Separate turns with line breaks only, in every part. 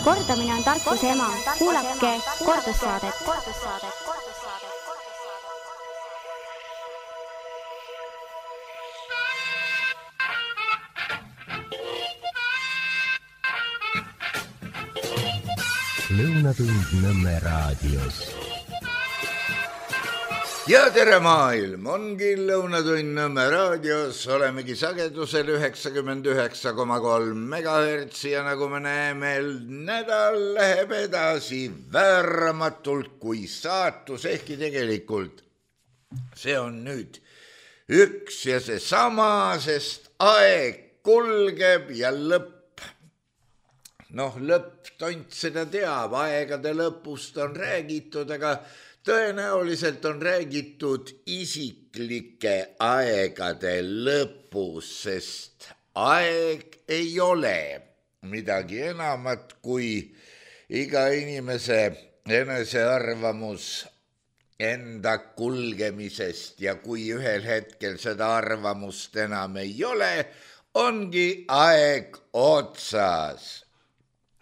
Kordamine on tarkuse ema. Kuulake kordussaadet.
Lõunatund Nõmme raadios.
Ja tere maailm, ongi Lõunatund Nõmme raadios, olemegi sagedusel 99,3 MHz ja nagu me näeme, nädal läheb edasi vääramatult kui saatus, ehkki tegelikult see on nüüd üks ja seesama, sest aeg kulgeb ja lõpp tont seda teab, aegade lõpust on räägitud, aga tõenäoliselt on räägitud isiklike aegade lõpus, sest aeg ei ole midagi enamat kui iga inimese enesearvamus enda kulgemisest ja kui ühel hetkel seda arvamust enam ei ole, ongi aeg otsas.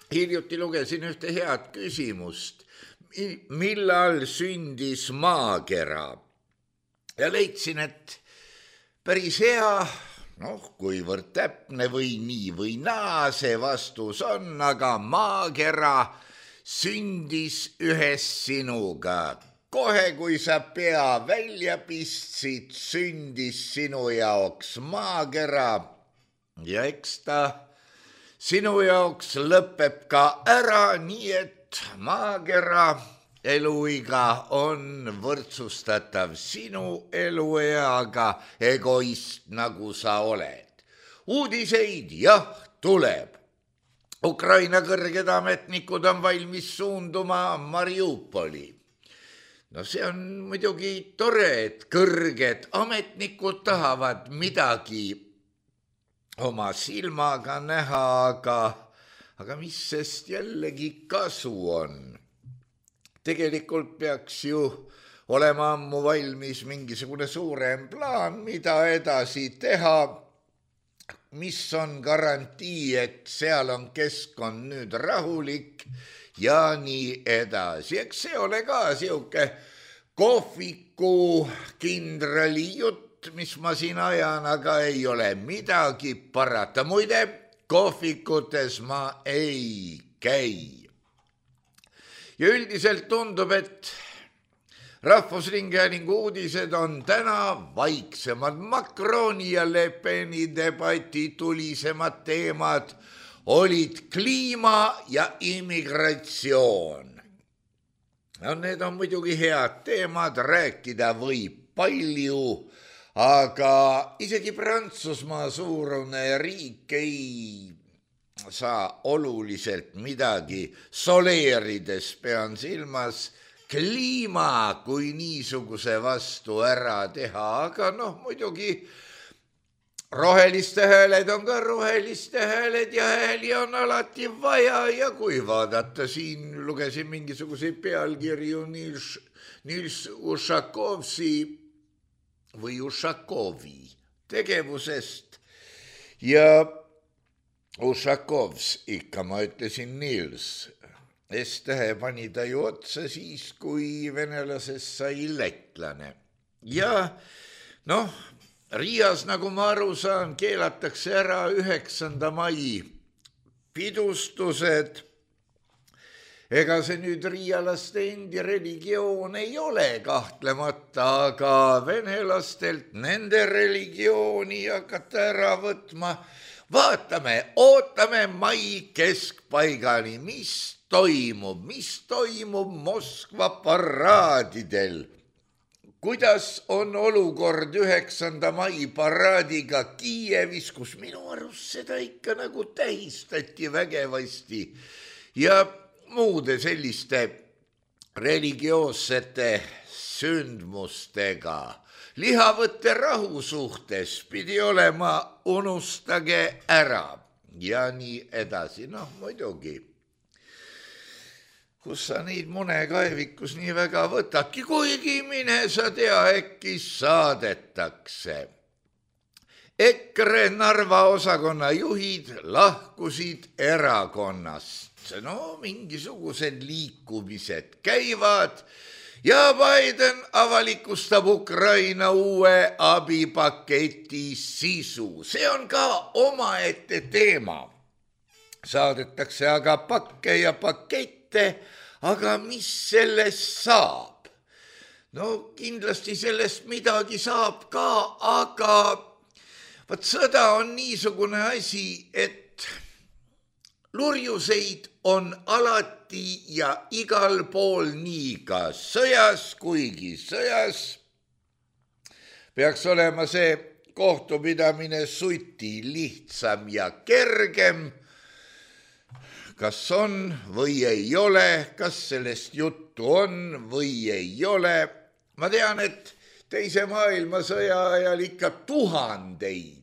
Hiljuti lugesin ühte head küsimust, millal sündis maakera ja leidsin, et päris hea, kuivõrd täpne või nii või naa see vastus on, aga maakera sündis ühes sinuga. Kohe, kui sa pea välja pistsid, sündis sinu jaoks maakera ja eks ta sinu jaoks lõpeb ka ära, nii et maakera eluiga on võrdsustatav sinu elueaga, egoist nagu sa oled. Uudiseid jah tuleb. Ukraina kõrged ametnikud on valmis suunduma Mariupoli. See on muidugi tore, et kõrged ametnikud tahavad midagi oma silmaga näha, aga mis sest jällegi kasu on? Tegelikult peaks ju olema ammu valmis mingisugune suurem plaan, mida edasi teha, mis on garantii, et seal on keskkond nüüd rahulik ja nii edasi. Eks see ole ka siuke kohviku kindrali jutt, mis ma siin ajan, aga ei ole midagi parata. Muide, kohvikutes ma ei käi. Ja üldiselt tundub, et Rahvusringhäälingu uudised on täna vaiksemad. Macroni ja Le Peni debati tulisemad teemad olid kliima ja immigratsioon. Need on muidugi head teemad, rääkida võib palju, aga isegi Prantsusmaa suurune riik ei saa oluliselt midagi soleerides, pean silmas kliima kui niisuguse vastu ära teha, aga muidugi roheliste hääled on ka roheliste hääled ja hääli on alati vaja ja kui vaadata siin, lugesin mingisuguseid pealkirju Nils Ušakovi tegevusest ja Ušakovs, ikka ma ütlesin Nils, S-tähe pani ta ju otsa siis, kui venelasest sai lettlane. Ja Riias, nagu ma aru saan, keelatakse ära 9. mai pidustused. Ega see nüüd riialaste endi religioon ei ole kahtlemata, aga venelastelt nende religiooni hakata ära võtma. Vaatame, ootame mai keskpaigani, mis toimub Moskva paraadidel. Kuidas on olukord 9. mai paraadiga Kiievis, kus minu arust seda ikka nagu tähistati vägevasti ja muude selliste religioossete sündmustega. Lihavõtte rahu suhtes pidi olema unustage ära ja nii edasi. Muidugi, kus sa neid mune kaevikus nii väga võtadki, kuigi mine sa tea, äkki saadetakse. EKRE Narva osakonna juhid lahkusid erakonnast. no mingisugused liikumised käivad ja Biden avalikustab Ukraina uue abipaketi sisu. See on ka omaette teema. Saadetakse aga pakke ja pakette, aga mis sellest saab? No kindlasti sellest midagi saab ka, aga vaat sõda on niisugune asi, et lurjuseid on alati ja igal pool nii ka sõjas, kuigi sõjas peaks olema see kohtupidamine suti lihtsam ja kergem. Kas on või ei ole, kas sellest juttu on või ei ole. Ma tean, et teise maailmasõja ajal ikka tuhandeid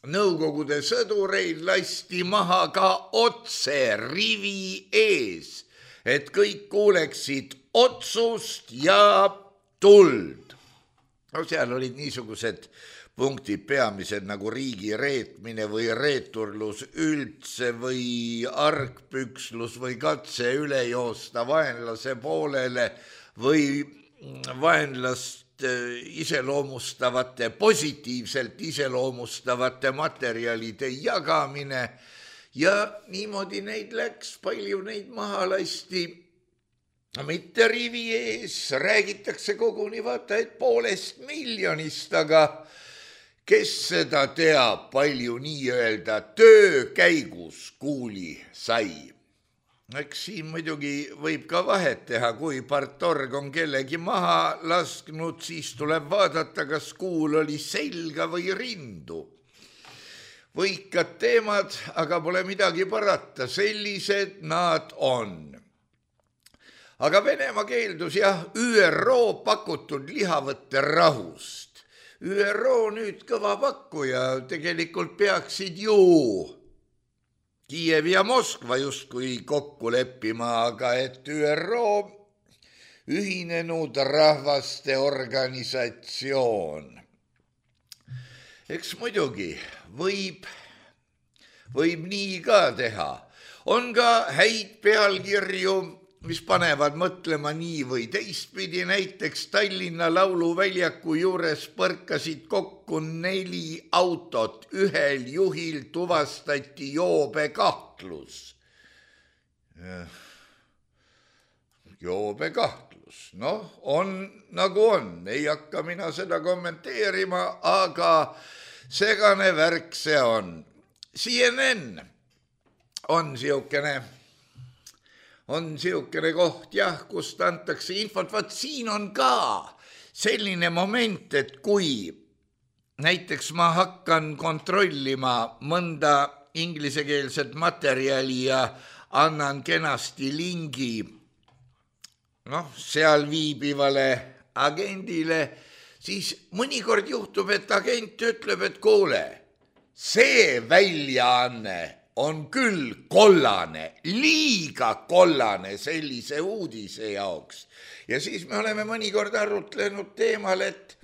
Nõukogude sõdureid lasti maha ka otse rivi ees, et kõik kuuleksid otsust ja tuld. No seal olid niisugused punktid peamised nagu riigi reetmine või reeturlus üldse või argpükslus või katse üle joosta vaenlase poolele või vaenlast iseloomustavate, positiivselt iseloomustavate materjalide jagamine ja niimoodi neid läks, palju neid maha lasti. Mitte rivi ees, räägitakse koguni vaata, et 500 miljonist, aga kes seda teab, palju nii-öelda töö käigus kuuli sai. Eks siin muidugi võib ka vahet teha, kui partorg on kellegi maha lasknud, siis tuleb vaadata, kas kuul oli selga või rindu. Võikad teemad, aga pole midagi parata, sellised nad on. Aga Venemaa keeldus ÜRO pakutud lihavõtte rahust. ÜRO nüüd kõva pakkuja, tegelikult peaksid ju Kiiev ja Moskva justkui kokku leppima, aga et ÜRO, Ühinenud Rahvaste Organisatsioon. Eks muidugi võib nii ka teha. On ka häid pealkirju, mis panevad mõtlema nii või teistpidi. Näiteks Tallinna lauluväljaku juures põrkasid kokku 4 autot. Ühel juhil tuvastati joobekahtlus. Joobekahtlus, on nagu on. Ei hakka mina seda kommenteerima, aga segane värk see on. CNN on siukene koht, kust antakse infot. Vaat siin on ka selline moment, et kui näiteks ma hakkan kontrollima mõnda inglisekeelset materjali ja annan kenasti lingi seal viibivale agendile, siis mõnikord juhtub, et agent ütleb, et kuule, see väljaanne on küll kollane, liiga kollane sellise uudise jaoks. Ja siis me oleme mõnikord arutlenud teemal, et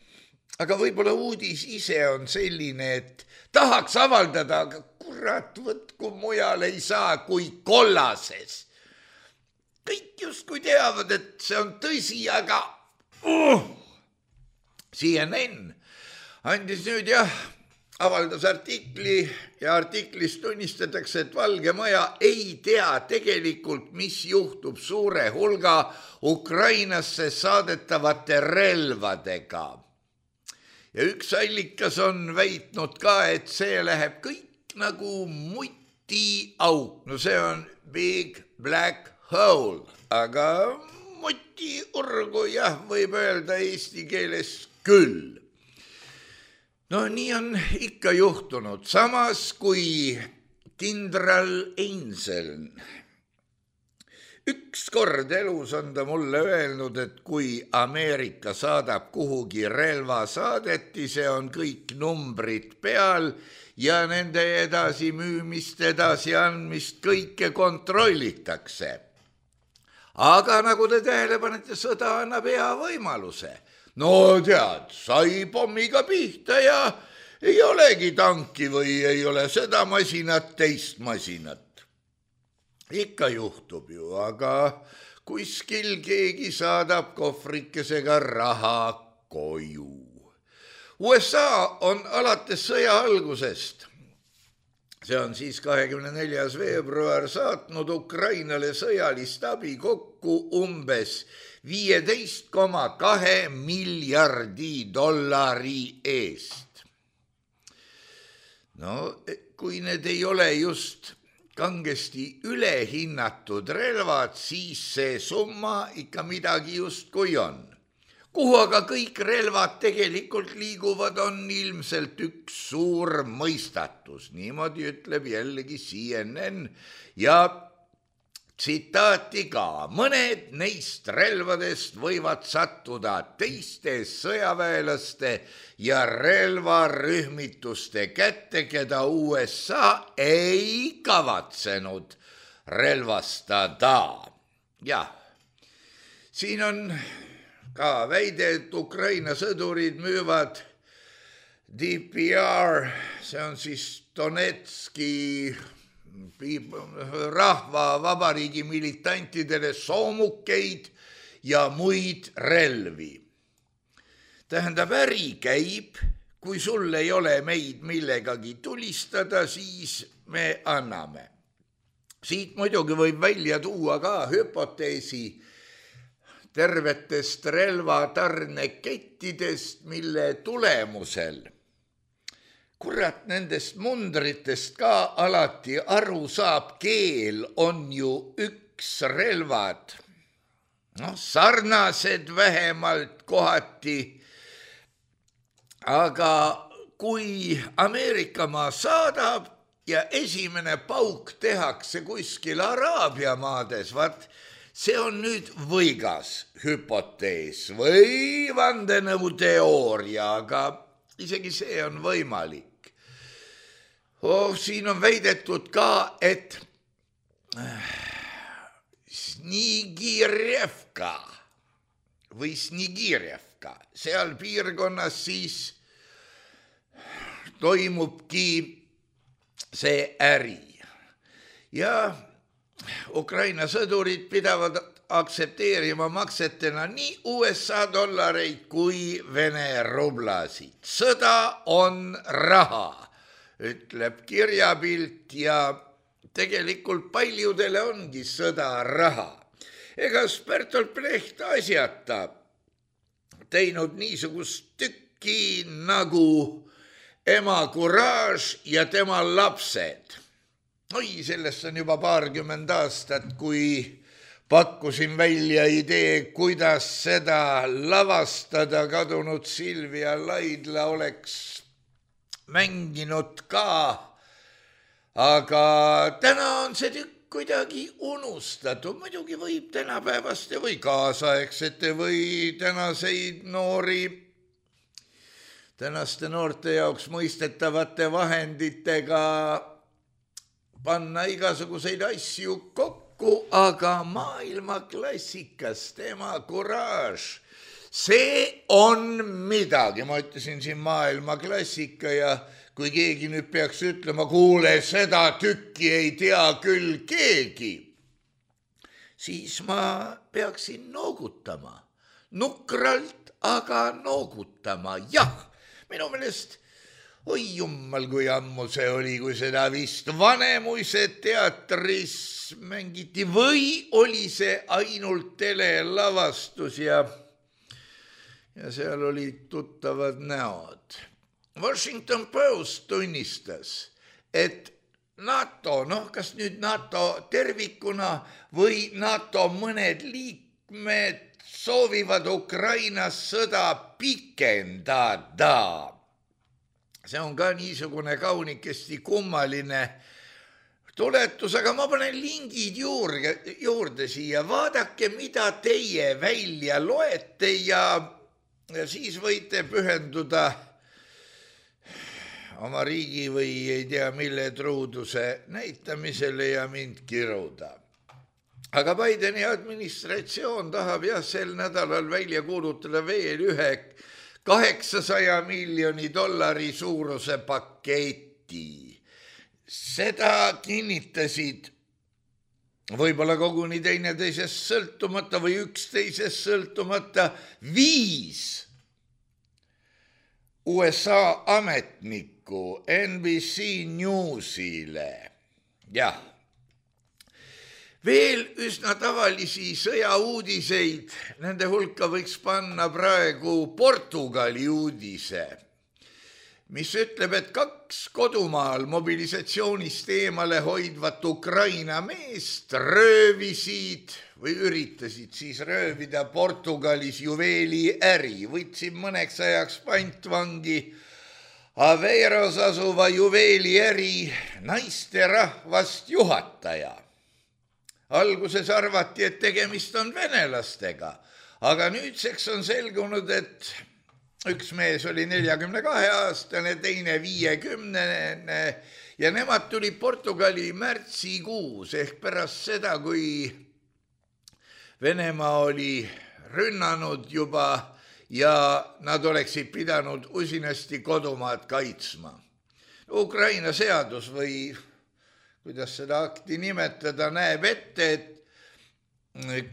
aga võib-olla uudis ise on selline, et tahaks avaldada, aga kurat, võtku mujal ei saa kui kollases. Kõik justkui teavad, et see on tõsi, aga CNN andis nüüd avaldas artikli ja artiklis tunnistatakse, et Valge Maja ei tea tegelikult, mis juhtub suure hulga Ukrainasse saadetavate relvadega. Ja üks allikas on väitnud ka, et see läheb kõik nagu mutiauk. No see on big black hole, aga mutiurgu võib öelda eesti keeles küll. No nii on ikka juhtunud, samas kui kindral Einzel. Ükskord elus on ta mulle öelnud, et kui Ameerika saadab kuhugi relvasaadetise, on kõik numbrid peal ja nende edasimüümist, edasiandmist kõike kontrollitakse. Aga nagu te tähele panete, sõda annab hea võimaluse. No tead, sai pommiga pihta ja ei olegi tanki või ei ole seda masinat, teist masinat. ikka juhtub ju, aga kuskil keegi saadab kohvrikesega raha koju. USA on alates sõja algusest, see on siis 24. veebruar, saatnud Ukrainale sõjalist abi kokku umbes 15,2 miljardi dollari eest. No, kui need ei ole just kangesti ülehinnatud relvad, siis see summa ikka midagi justkui on. Kuhu aga kõik relvad tegelikult liiguvad, on ilmselt üks suur mõistatus. Niimoodi ütleb jällegi CNN ja tsitaati ka. Mõned neist relvadest võivad sattuda teiste sõjaväelaste ja relvarühmituste kätte, keda USA ei kavatsenud relvastada. Jah, siin on ka väide, et Ukraina sõdurid müüvad DPR, see on siis Donetski rahvavabariigi militantidele soomukeid ja muid relvi. Tähendab, äri käib, kui sul ei ole meid millegagi tulistada, siis me anname. Siit muidugi võib välja tuua ka hüpoteesi tervetest relvatarnekettidest, mille tulemusel kurat nendest mundritest ka alati aru saab, keel on ju üks relvad. No, sarnased vähemalt kohati, aga kui Ameerikamaa saadab ja esimene pauk tehakse kuskil Araabia maades, vaat see on nüüd võigas hüpotees või vandenõuteooria, aga isegi see on võimalik. Siin on väidetud ka, et Snigirjevka või Snigirjevka, seal piirkonnas siis toimubki see äri. Ja Ukraina sõdurid pidavad aktsepteerima maksetena nii USA dollareid kui Vene rublasid. Sõda on raha, ütleb kirjapilt, ja tegelikult paljudele ongi sõda raha. Egas Bertolt Brecht asjata teinud niisugust tükki nagu Ema kuraaž ja tema lapsed. Oi, sellest on juba 20 aastat, kui pakkusin välja idee, kuidas seda lavastada. Kadunud Silvia Laidla oleks mänginud ka, aga täna on see tükk kuidagi unustatud. Muidugi võib tänapäevaste või kaasaegsete või tänaste noorte jaoks mõistetavate vahenditega panna igasuguseid asju kokku, aga maailmaklassikas Ema kuraaž, see on midagi. Ma ütlesin siin maailmaklassika, ja kui keegi nüüd peaks ütlema, kuule, seda tükki ei tea küll keegi, siis ma peaksin noogutama. Nukralt, aga noogutama. Jah, minu meelest, oi jummal, kui ammu see oli, kui seda vist Vanemuise teatris mängiti või oli see ainult telelavastus ja seal olid tuttavad näod. Washington Post tunnistas, et NATO, kas nüüd NATO tervikuna või NATO mõned liikmed soovivad Ukrainas sõda pikendada. See on ka niisugune kaunikesti kummaline tuletus, aga ma panen lingid juurde siia. Vaadake, mida teie välja loete ja siis võite pühenduda oma riigi või ei tea mille truuduse näitamisele ja mind kiruda. Aga Bideni administratsioon tahab sel nädalal välja kuulutada veel ühe $800 miljoni suuruse paketi. Seda kinnitasid võib-olla koguni teineteisest sõltumata või üksteisest sõltumata 5 USA ametnikku NBC Newsile. Jah. Veel üsna tavalisi sõjauudiseid, nende hulka võiks panna praegu Portugali uudise, mis ütleb, et 2 kodumaal mobilisatsioonist eemale hoidvat Ukraina meest röövisid või üritasid siis röövida Portugalis juveeliäri. Võtsid mõneks ajaks pantvangi Aveiros asuva juveeliäri naisterahvast juhataja. Alguses arvati, et tegemist on venelastega, aga nüüdseks on selgunud, et üks mees oli 42-aastane, teine 50 ja nemad tuli Portugali märtsikuus ehk pärast seda, kui Venemaa oli rünnanud juba ja nad oleksid pidanud usinasti kodumaad kaitsma. Ukraina seadus või kuidas seda akti nimetada, näeb ette, et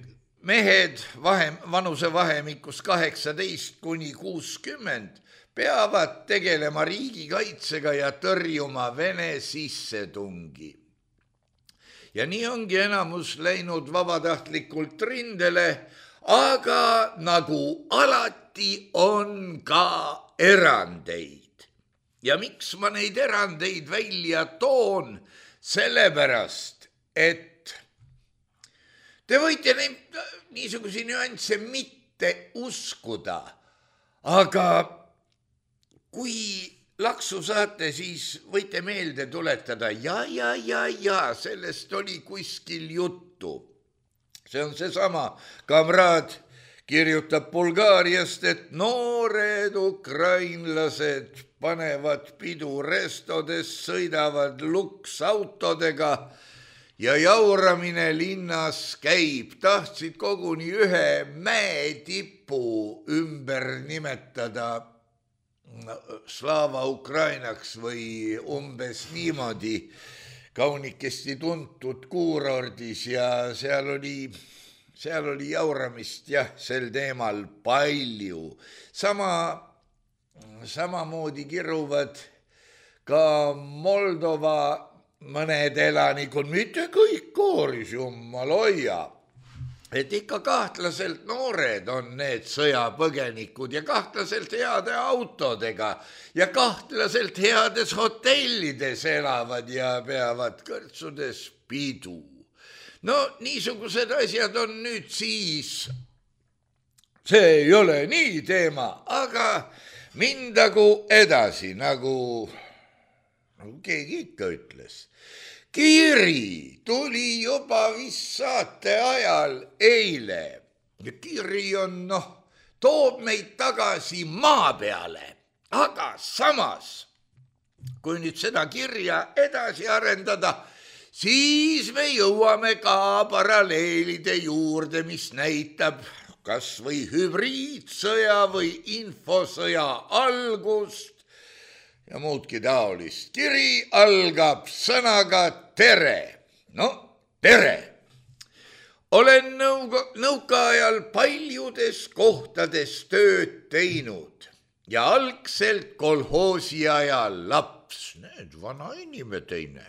mehed vanusevahemikus 18 kuni 60 peavad tegelema riigikaitsega ja tõrjuma Vene sissetungi. Ja nii ongi enamus läinud vabatahtlikult rindele, aga nagu alati on ka erandeid. Ja miks ma neid erandeid välja toon? Sellepärast, et te võite niisugusi nüansse mitte uskuda, aga kui laksu saate, siis võite meelde tuletada, ja, sellest oli kuskil juttu. See on seesama kamraad kirjutab Bulgaariast, et noored ukrainlased panevad pidu restodes, sõidavad luksautodega ja jauramine linnas käib. Tahtsid koguni ühe mäetipu ümber nimetada Slava Ukrainaks või umbes niimoodi kaunikesti tuntud kuurordis ja seal oli jauramist sel teemal palju. Samamoodi kiruvad ka Moldova mõned elanikud, mitte kõik kooris, jumal hoia, et ikka kahtlaselt noored on need sõjapõgenikud ja kahtlaselt heade autodega ja kahtlaselt heades hotellides elavad ja peavad kõrtsudes pidu. No niisugused asjad on nüüd siis, see ei ole nii teema, aga mindagu edasi, nagu keegi ikka ütles. Kiri tuli juba vist saate ajal eile. Kiri on, toob meid tagasi maa peale, aga samas, kui nüüd seda kirja edasi arendada, siis me jõuame ka paralleelide juurde, mis näitab kas või hübriidsõja või infosõja algust ja muudki taolist. Kiri algab sõnaga tere. No, tere! Olen nõukaajal paljudes kohtades tööd teinud ja algselt kolhoosi ajal laps, need vana inimene teine.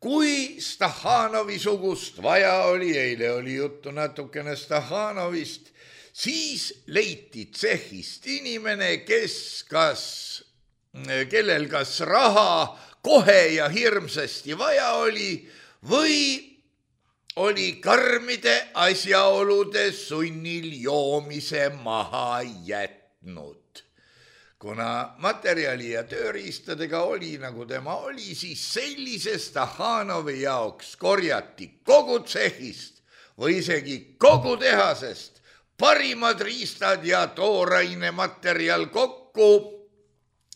Kui Stahhanovi sugust vaja oli, eile oli juttu natukene Stahhanovist, siis leiti tsehhist inimene, kellel kas raha kohe ja hirmsasti vaja oli või oli karmide asjaolude sunnil joomise maha jätnud. Kuna materjali ja tööriistadega oli, nagu tema oli, siis sellise Stahhanovi jaoks korjati kogu tsehhist või isegi kogu tehasest parimad riistad ja tooraine materjal kokku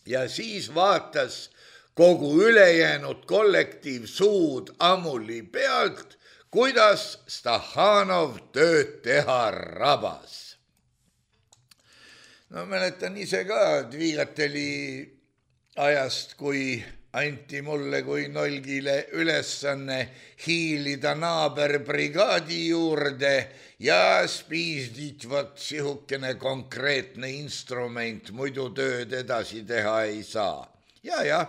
ja siis vaatas kogu ülejäänud kollektiiv suud ammuli pealt, kuidas Stahhanov tööd teha rabas. No mäletan ise ka Dvigateli ajast, kui anti mulle kui nolgile ülesanne hiilida naaberbrigaadi juurde ja spiisditvat sihukene konkreetne instrument, muidu tööd edasi teha ei saa. Ja.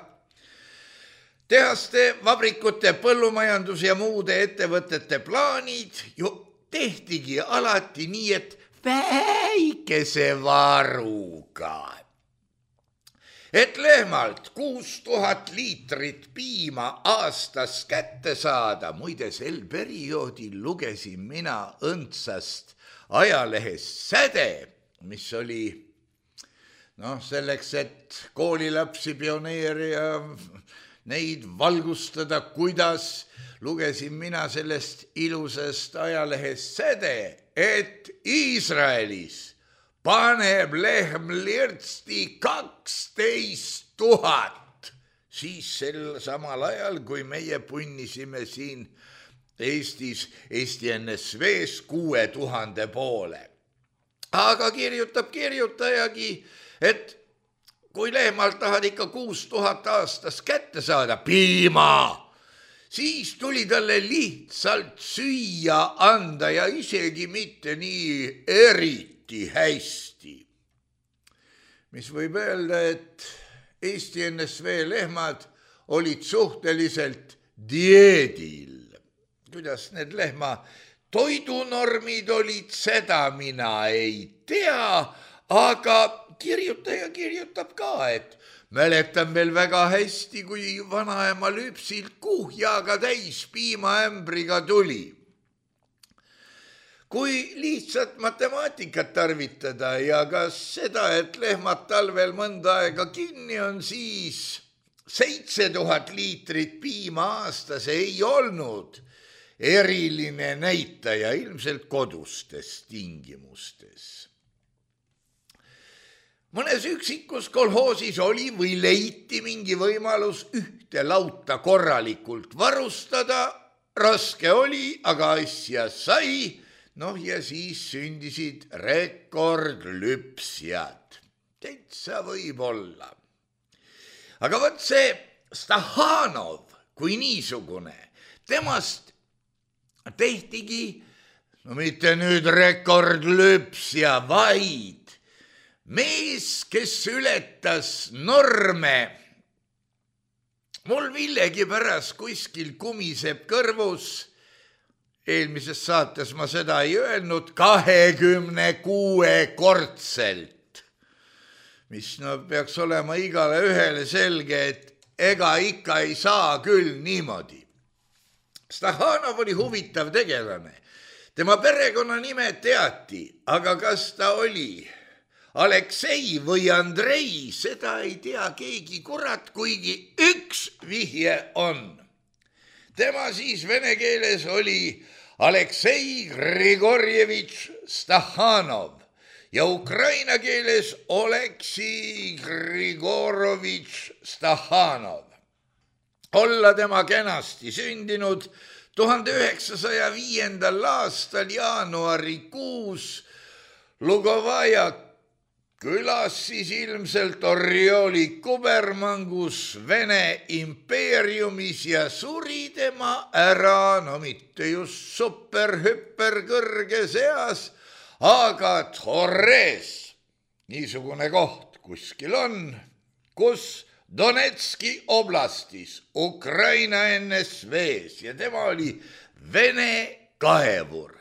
Tehaste, vabrikute, põllumajandus ja muude ettevõtete plaanid ju tehtigi alati nii, et väikese varuga. Et lehmalt 6000 liitrit piima aastas kätte saada, muide sel perioodil lugesin mina õndsast ajalehest säde, mis oli selleks, et koolilapsi, pioneere ja neid valgustada, kuidas lugesin mina sellest ilusast ajalehest säde, et Iisraelis paneb lehm lirtsti 12 000, siis sel samal ajal, kui meie punnisime siin Eestis, Eesti NSV-s 6000 poole. Aga kirjutab kirjutajagi, et kui lehmalt tahad ikka 6000 aastas kätte saada piima, siis tuli talle lihtsalt süüa anda ja isegi mitte nii eriti hästi. Mis võib öelda, et Eesti NSV lehmad olid suhteliselt dieedil. Kuidas need lehma toidunormid olid, seda mina ei tea, aga kirjutaja kirjutab ka, et mäletan veel väga hästi, kui vanaema lüpsilt kuhjaga täis piimaämbriga tuli. Kui lihtsalt matemaatikat tarvitada ja ka seda, et lehmad talvel mõnda aega kinni on, siis 7000 liitrit piima aastas ei olnud eriline näitaja ilmselt kodustes tingimustes. Mõnes üksikus kolhoosis oli või leiti mingi võimalus ühte lauta korralikult varustada, raske oli, aga asja sai. Ja siis sündisid rekordlüpsjad. Täitsa võib olla. Aga võt see Stahanov kui niisugune, temast tehtigi, mitte nüüd rekordlüpsja, vaid mees, kes ületas norme. Mul millegi pärast kuskil kumiseb kõrvus, eelmises saates ma seda ei öelnud, 26-kordselt, mis peaks olema igale ühele selge, et ega ikka ei saa küll niimoodi. Stahanov oli huvitav tegelane. Tema perekonnanime teati, aga kas ta oli Aleksei või Andrei, seda ei tea keegi kurat, kuigi üks vihje on. Tema siis vene keeles oli Aleksei Grigorjevitš Stahanov ja ukraina keeles Oleksii Grigorovitš Stahanov. Olla tema kenasti sündinud 1905. aastal jaanuarikuus Lugovaja külas siis ilmselt Orjoli kubermangus Vene impeeriumis ja suri tema ära, mitte just superhüper kõrges eas, aga Torres, niisugune koht kuskil on, kus Donetski oblastis, Ukraina NSV-s ja tema oli Vene kaevur.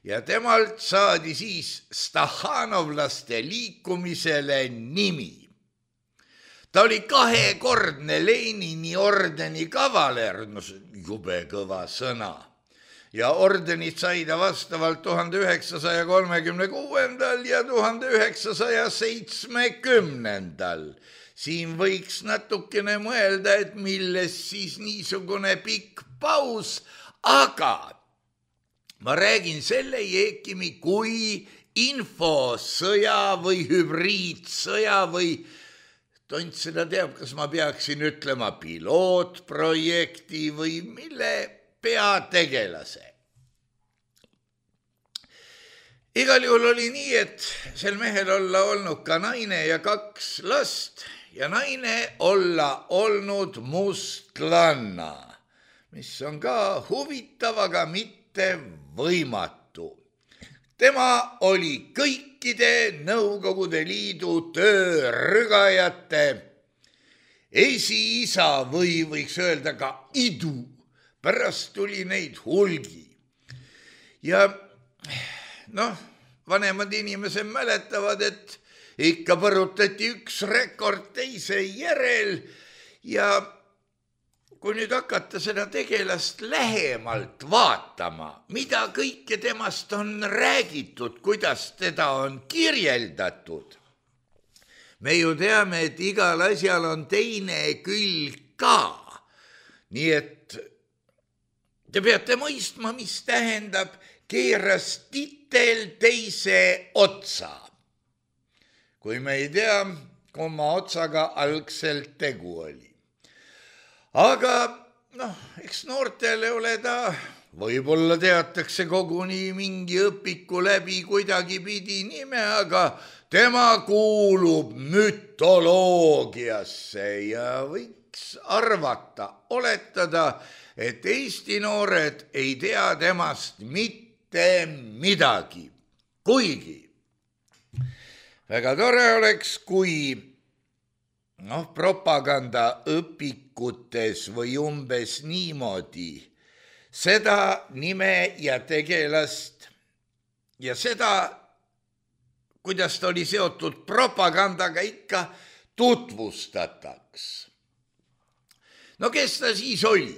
Ja temalt saadi siis stahanovlaste liikumisele nimi. Ta oli 2-kordne Lenini ordeni kavaler, jube kõva sõna. Ja ordenit sai ta vastavalt 1936. ja 1970. Siin võiks natukene mõelda, et milles siis niisugune pikk paus, aga ma räägin selle Jeekimi kui infosõja või hübriidsõja või tont seda teab, kas ma peaksin ütlema pilootprojekti või mille peategelase. Igal juhul oli nii, et sel mehel olla olnud ka naine ja 2 last ja naine olla olnud mustlanna, mis on ka huvitav, aga mitte võimatu. Tema oli kõikide Nõukogude Liidu töörügajate esiisa või võiks öelda ka idu. Pärast tuli neid hulgi. Ja vanemad inimesed mäletavad, et ikka põrutati üks rekord teise järel ja kui nüüd hakata seda tegelast lähemalt vaatama, mida kõike temast on räägitud, kuidas teda on kirjeldatud, me ju teame, et igal asjal on teine külg ka. Nii et te peate mõistma, mis tähendab keeras titel teise otsa. Kui me ei tea, kumma otsaga algselt tegu oli. Aga eks noortele ole ta, võib-olla teatakse koguni mingi õpiku läbi kuidagi pidi nime, aga tema kuulub mütoloogiasse ja võiks arvata, oletada, et Eesti noored ei tea temast mitte midagi. Kuigi väga tore oleks, kui propagandaõpikutes või umbes niimoodi seda nime ja tegelast ja seda, kuidas ta oli seotud propagandaga, ikka tutvustataks. Kes ta siis oli?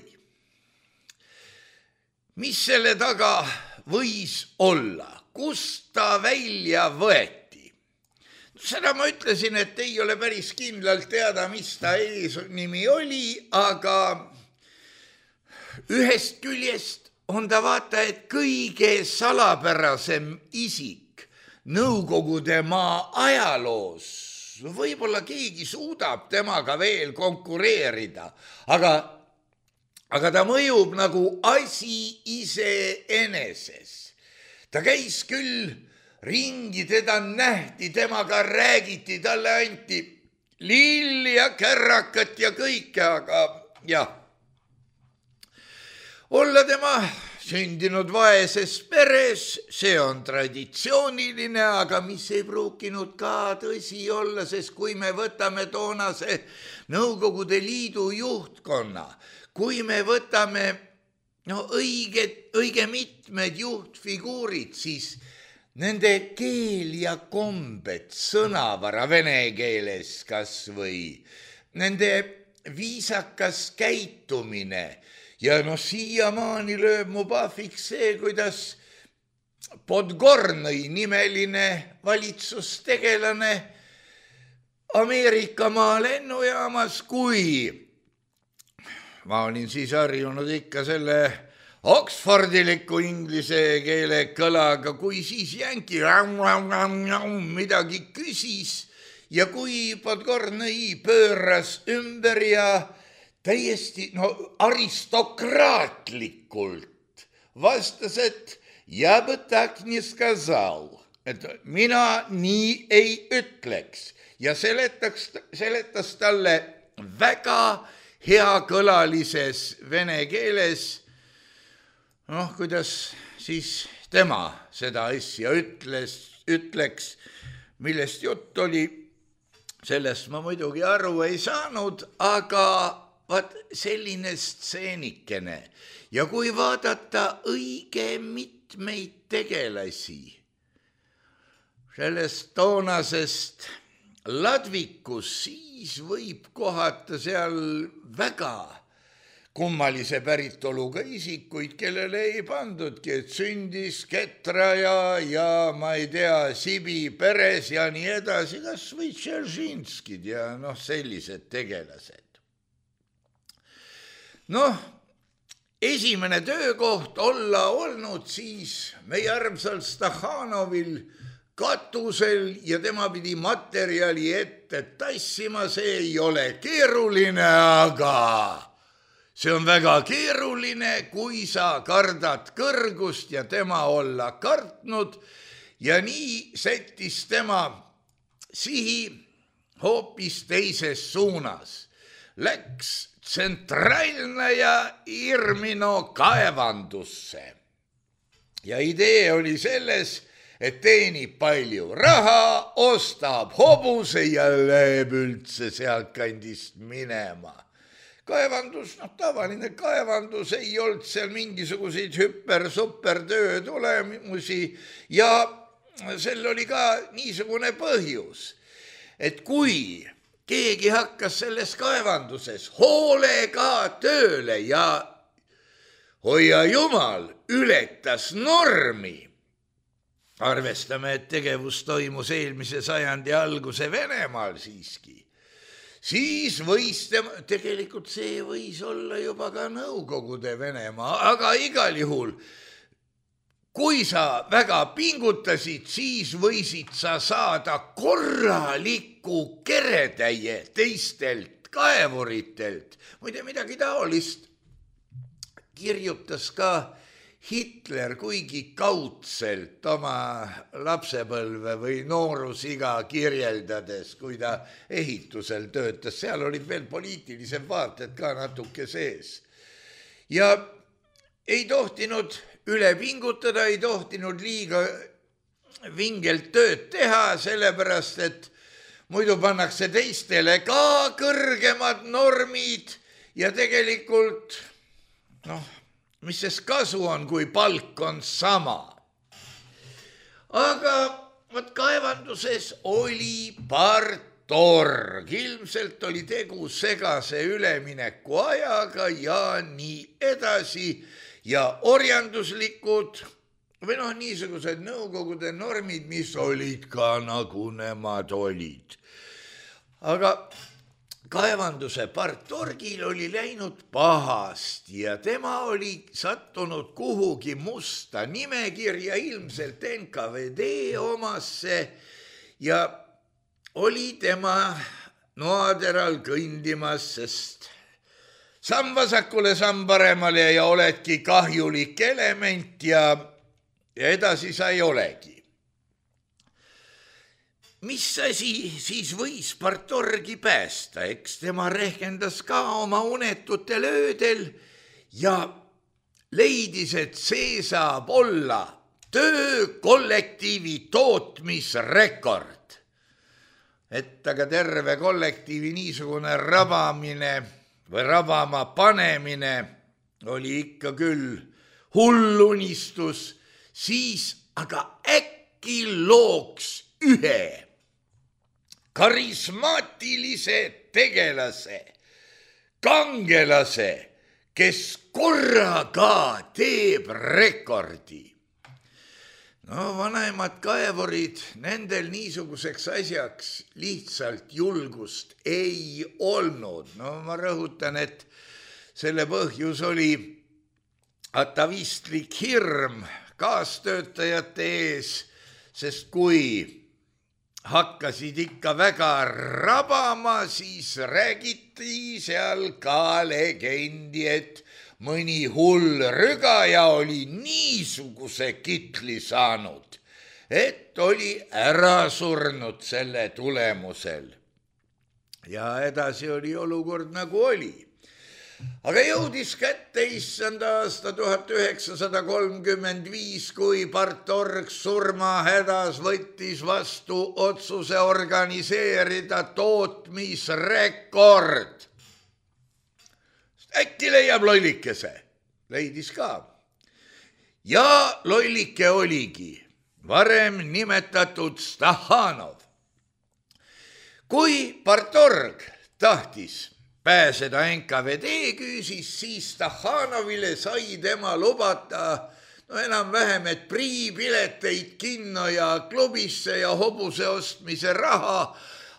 Mis selle taga võis olla? Kust ta välja võeti? Seda ma ütlesin, et ei ole päris kindlalt teada, mis ta eesnimi oli, aga ühest küljest on ta vaata, et kõige salapärasem isik Nõukogude maa ajaloos. Võib-olla keegi suudab temaga veel konkureerida, aga ta mõjub nagu asi iseeneses. Ta käis küll ringi, teda nähti, temaga räägiti, talle anti lilli ja kärrakat ja kõike, aga jah. Olla tema sündinud vaeses peres, see on traditsiooniline, aga mis ei pruukinud ka tõsi olla, sest kui me võtame toonase Nõukogude Liidu juhtkonna, kui me võtame õige mitmed juhtfiguurid, siis nende keel ja kombed, sõnavara vene keeles kas või, nende viisakas käitumine ja siiamaani lööb mu pahviks see, kuidas Podgornõi nimeline valitsustegelane Ameerikamaa lennujaamas, kui ma olin siis harjunud ikka selle oksfordiliku inglise keele kõlaga, kui siis jänki midagi küsis ja kui Podgornõi pööras ümber ja täiesti aristokraatlikult vastas, et ja бы так не сказал, et mina nii ei ütleks ja seletas talle väga heakõlalises vene keeles, kuidas siis tema seda asja ütleks, millest jutt oli, sellest ma muidugi aru ei saanud, aga vaat selline stseenikene. Ja kui vaadata õige mitmeid tegelasi sellest toonasest ladvikus, siis võib kohata seal väga kummalise päritoluga isikuid, kellele ei pandudki, et sündis Ketra ja ma ei tea, Sibi peres ja nii edasi, kas või Tšeržinskid ja sellised tegelased. Esimene töökoht olla olnud siis meie armsal Stakhanovil katusel ja tema pidi materjali ette tassima, see ei ole keeruline, aga see on väga keeruline, kui sa kardad kõrgust ja tema olla kartnud ja nii sättis tema sihi hoopis teises suunas. Läks Tsentralne ja Irmino kaevandusse. Ja idee oli selles, et teenib palju raha, ostab hobuse ja läheb üldse sealt kandist minema. Kaevandus, tavaline kaevandus, ei olnud seal mingisuguseid hüper-super töö tulemusi ja sel oli ka niisugune põhjus, et kui keegi hakkas selles kaevanduses hoolega tööle ja hoia jumal, ületas normi. Arvestame, et tegevus toimus eelmise sajandi alguse Venemaal siiski. Siis võis tegelikult see võis olla juba ka Nõukogude Venemaa, aga igal juhul, kui sa väga pingutasid, siis võisid sa saada korraliku keretäie teistelt kaevuritelt. Muide, midagi taolist kirjutas ka Hitler, kuigi kaudselt oma lapsepõlve või noorusiga kirjeldades, kui ta ehitusel töötas, seal olid veel poliitilised vaated ka natuke sees. Ja ei tohtinud üle pingutada, ei tohtinud liiga vingelt tööd teha, sellepärast, et muidu pannakse teistele ka kõrgemad normid ja tegelikult, mis sest kasu on, kui palk on sama. Aga kaevanduses oli partorg. Ilmselt oli tegu segase ülemineku ajaga ja nii edasi. Ja orjanduslikud või niisugused Nõukogude normid, mis olid ka nagu nemad olid. Aga kaevanduse partorgil oli läinud pahasti ja tema oli sattunud kuhugi musta nimekirja, ilmselt NKVD omasse ja oli tema noateral kõndimas, sest samm vasakule, samm paremale ja oledki kahjulik element ja edasi sa ei olegi. Mis asi siis võis partorgi päästa, eks tema rehkendas ka oma unetutel öödel ja leidis, et see saab olla töökollektiivi tootmisrekord. Et aga terve kollektiivi niisugune rabamine või rabama panemine oli ikka küll hull unistus, siis aga äkki looks ühe karismaatilise tegelase, kangelase, kes korraga teeb rekordi. Vanemad kaevurid, nendel niisuguseks asjaks lihtsalt julgust ei olnud. Ma rõhutan, et selle põhjus oli atavistlik hirm kaastöötajate ees, sest kui hakkasid ikka väga rabama, siis räägiti seal ka legendi, et mõni hull rügaja oli niisuguse kitli saanud, et oli ära surnud selle tulemusel. Ja edasi oli olukord nagu oli. Aga jõudis kätte issanda aasta 1935, kui partorg surmahädas võttis vastu otsuse organiseerida tootmisrekord. Äkki leiab lollikese. Leidis ka. Ja lollike oligi varem nimetatud Stakhanov. Kui partorg tahtis pääseda NKVD küüsis, siis Stakhanovile sai tema lubata enam-vähem, et priipileteid kinno ja klubisse ja hobuse ostmise raha,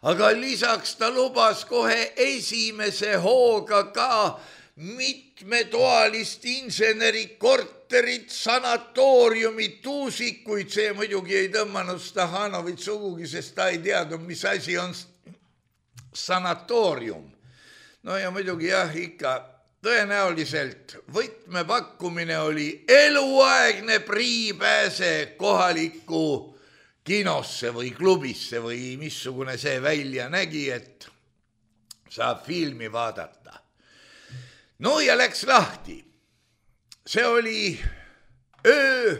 aga lisaks ta lubas kohe esimese hooga ka mitmetoalist insenerikorterit, sanatooriumit, tuusikuid. See muidugi ei tõmmanud Stakhanovit sugugi, sest ta ei teadnud, mis asi on sanatoorium. Ja muidugi ikka tõenäoliselt võtmepakkumine oli eluaegne priipääse kohalikku kinosse või klubisse või missugune see välja nägi, et saab filmi vaadata. No ja läks lahti. See oli öö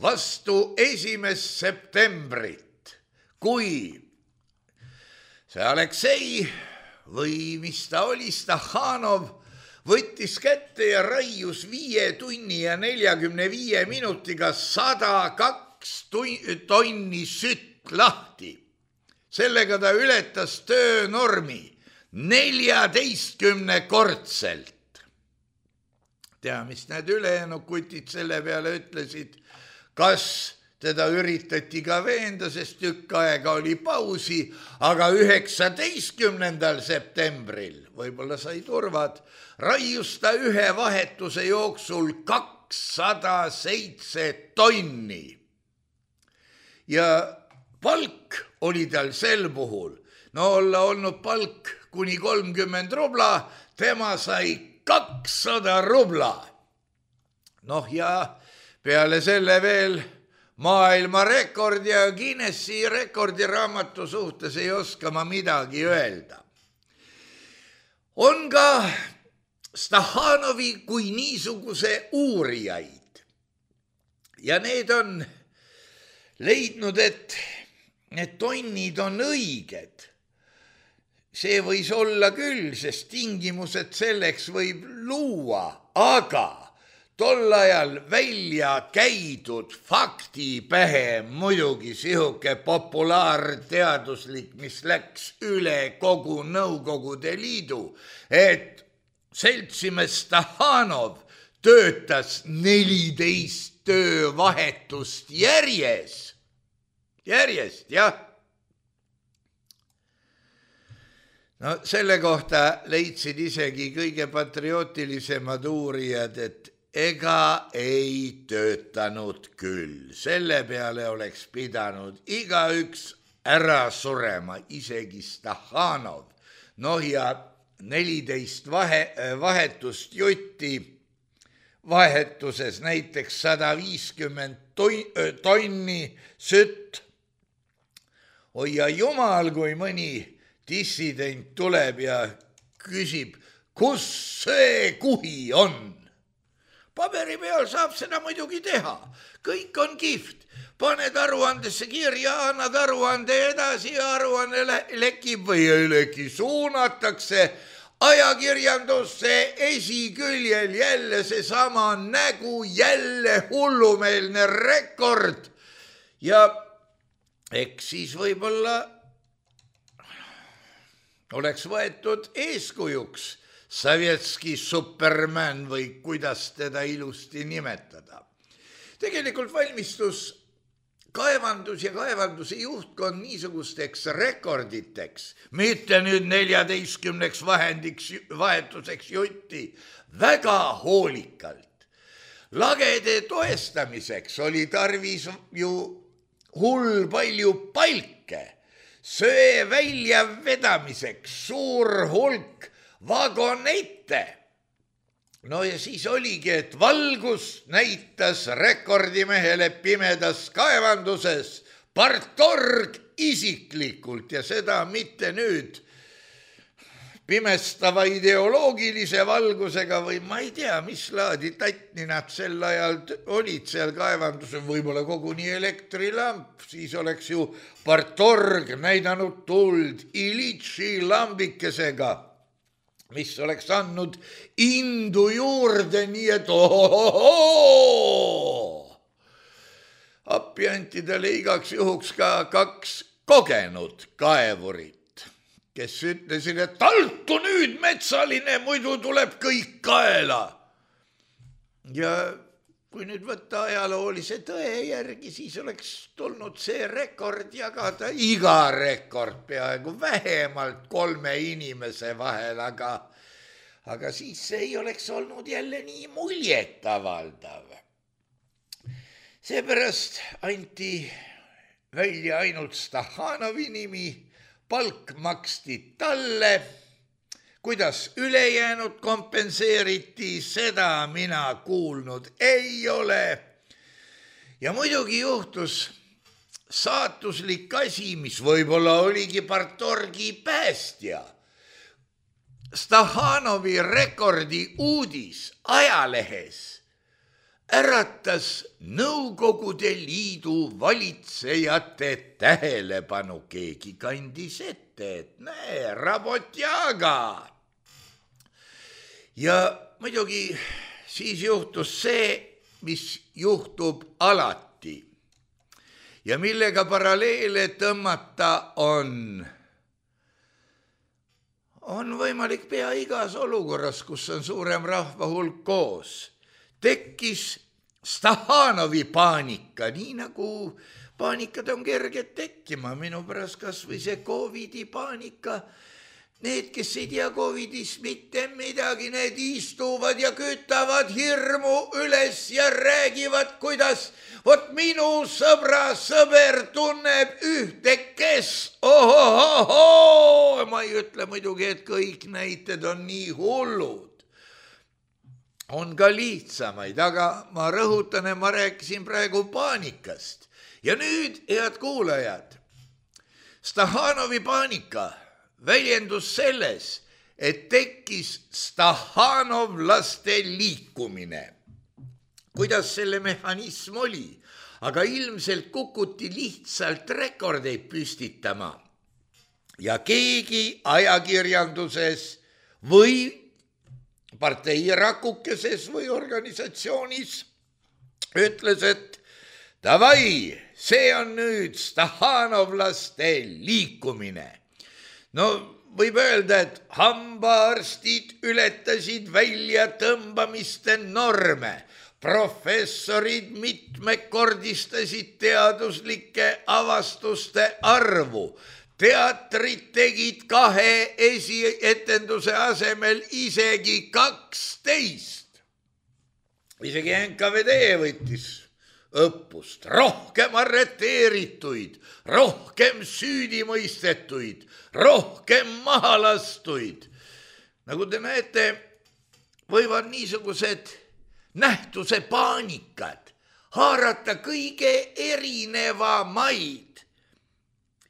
vastu 1. septembrit, kui see Aleksei või mis ta oli, Stakhanov võttis kätte ja raius 5 tunni ja 45 minutiga 102 tonni sütt lahti. Sellega ta ületas töönormi 14-kordselt. Tea, mis need ülejäänud kutid selle peale ütlesid, kas teda üritati ka veenda, sest tükk aega oli pausi, aga 19. septembril, võib-olla sai turvad, raius ta ühe vahetuse jooksul 207 tonni. Ja palk oli tal sel puhul, no olla olnud palk kuni 30 rubla, tema sai 200 rubla. Noh ja peale selle veel maailmarekord ja Guinessi rekordiraamatu suhtes ei oska ma midagi öelda. On ka Stakhanovi kui niisuguse uurijaid ja need on leidnud, et need tonnid on õiged. See võis olla küll, sest tingimused selleks võib luua, aga tol ajal välja käidud faktipähe muidugi sihuke populaarteaduslik, mis läks üle kogu Nõukogude Liidu, et seltsimees Stakhanov töötas 14 töövahetust järjest, jah. No selle kohta leidsid isegi kõige patriootilisemad uurijad, et ega ei töötanud küll. Selle peale oleks pidanud igaüks ära surema, isegi Stakhanov. Noh ja 14 vahetust jutti, vahetuses näiteks 150 tonni sütt. Oi ja jumal, kui mõni dissident tuleb ja küsib, kus see kuhi on. Paberi peal saab seda muidugi teha. Kõik on kihvt. Paned aruandesse kirja, annad aruande edasi ja aruanne lekib või ei leki. Suunatakse ajakirjandusse esiküljel jälle seesama nägu, jälle hullumeelne rekord. Ja eks siis võib-olla oleks võetud eeskujuks Sovetski Superman või kuidas teda ilusti nimetada. Tegelikult valmistus kaevandus ja kaevanduse juhtkond niisugusteks rekorditeks, mitte nüüd 14 vahetuseks jutti, väga hoolikalt. Lagede toestamiseks oli tarvis ju hull palju palke, söe välja vedamiseks suur hulk vagonette. No ja siis oligi, et valgus näitas rekordimehele pimedas kaevanduses partorg isiklikult ja seda mitte nüüd pimestava ideoloogilise valgusega või ma ei tea, mis laadi tatni nad sel ajal olid seal kaevandusel, võib-olla koguni elektrilamp, siis oleks ju partorg näidanud tuld Ilitši lambikesega, mis oleks andnud indu juurde, nii et appi anti talle igaks juhuks ka 2 kogenud kaevurit, kes ütlesid, et taltu nüüd metsaline, muidu tuleb kõik kaela. Ja kui nüüd võtta ajaloolise tõe järgi, siis oleks tulnud see rekord jagada, iga rekord peaaegu vähemalt 3 inimese vahel, aga siis see ei oleks olnud jälle nii muljetavaldav. Seepärast anti välja ainult Stakhanovi nimi, palk maksti talle, kuidas ülejäänud kompenseeriti, seda mina kuulnud ei ole. Ja muidugi juhtus saatuslik asi, mis võib-olla oligi partorgi päästja. Stakhanovi rekordi uudis ajalehes äratas Nõukogude Liidu valitsejate tähelepanu. Keegi kandis ette, et näe, Rabotjaga. Ja muidugi siis juhtus see, mis juhtub alati ja millega paralleele tõmmata on võimalik pea igas olukorras, kus on suurem rahvahulk koos. Tekkis Stakhanovi paanika, nii nagu paanikad on kerged tekkima, minu pärast kas või see Covidi paanika. Need, kes ei tea Covidist mitte midagi, need istuvad ja kütavad hirmu üles ja räägivad, kuidas vot minu sõber tunneb ühte, kes ohohoho. Ma ei ütle muidugi, et kõik näited on nii hullud. On ka lihtsamaid, aga ma rõhutan, et ma rääkisin praegu paanikast. Ja nüüd, head kuulajad, Stakhanovi paanika väljendus selles, et tekkis stakhanovlaste liikumine. Kuidas selle mehhanism oli? Aga ilmselt kukuti lihtsalt rekordeid püstitama. Ja keegi ajakirjanduses või parteirakukeses või organisatsioonis ütles, et davai, see on nüüd stakhanovlaste liikumine. No võib öelda, et hambaarstid ületasid välja tõmbamiste norme, professorid mitmekordistasid teaduslike avastuste arvu, teatrid tegid 2 esietenduse asemel isegi 12. Isegi NKVD võttis õppust, rohkem arreteerituid, rohkem süüdimõistetuid, rohkem mahalastuid. Nagu te näete, võivad niisugused nähtuse paanikad haarata kõige erinevamaid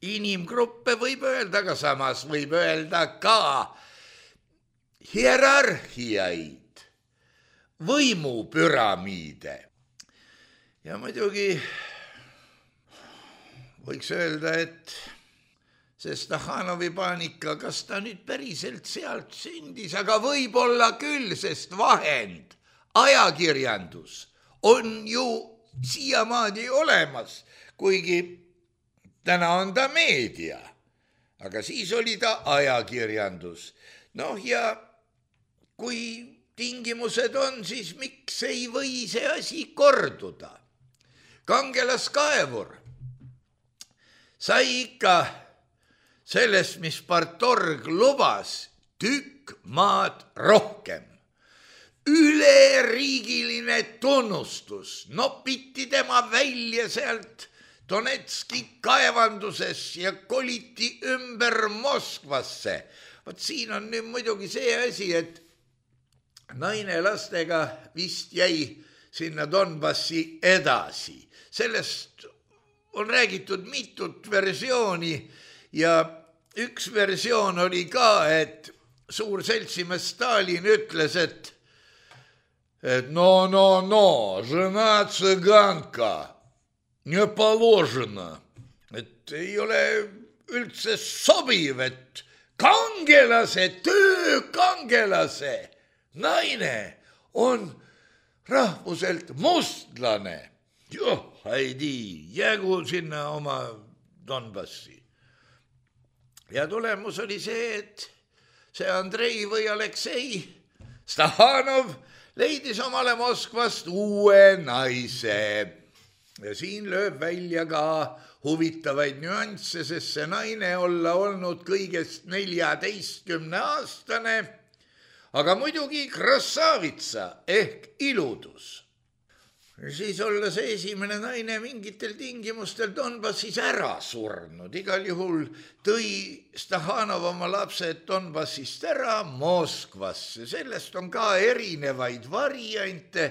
inimgruppe, võib öelda, aga samas võib öelda ka hierarhiaid, võimupüramiide. Ja muidugi võiks öelda, et see Stakhanovi paanika, kas ta nüüd päriselt sealt sündis, aga võib-olla küll, sest vahend, ajakirjandus on ju siiamaani olemas, kuigi täna on ta meedia, aga siis oli ta ajakirjandus. Noh, ja kui tingimused on, siis miks ei või see asi korduda? Kangelaskaevur sai ikka sellest, mis partorg lubas, tükk maad rohkem. Üleriigiline tunnustus, nopiti tema välja sealt Donetski kaevanduses ja koliti ümber Moskvasse. Vot siin on nüüd muidugi see asi, et naine lastega vist jäi sinna Donbassi edasi. Sellest on räägitud mitut versiooni ja üks versioon oli ka, et suur seltsimees Stalin ütles, et no, žena цыганка, не положено, et ei ole üldse sobiv, et töökangelase naine on rahvuselt mustlane. Haidi, jäägu sinna oma Donbassi. Ja tulemus oli see, et see Andrei või Aleksei Stakhanov leidis omale Moskvast uue naise. Ja siin lööb välja ka huvitavaid nüansse, sest see naine olla olnud kõigest 14-aastane, aga muidugi krassavitsa ehk iludus. Siis olla see esimene naine mingitel tingimustel Donbassis ära surnud. Igal juhul tõi Stakhanov oma lapsed Donbassist ära Moskvasse. Sellest on ka erinevaid variante.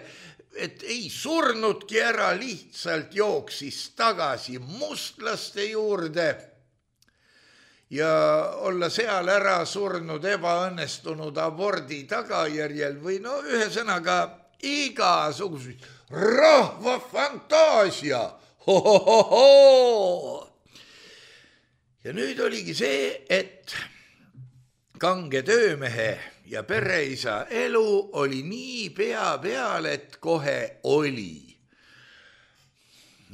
et ei surnudki ära, lihtsalt jooksis tagasi mustlaste juurde ja olla seal ära surnud ebaõnnestunud abordi tagajärjel või no ühesõnaga igasuguseid rahva fantaasia. Ja nüüd oligi see, et kange töömehe ja pereisa elu oli nii pea peal, et kohe oli.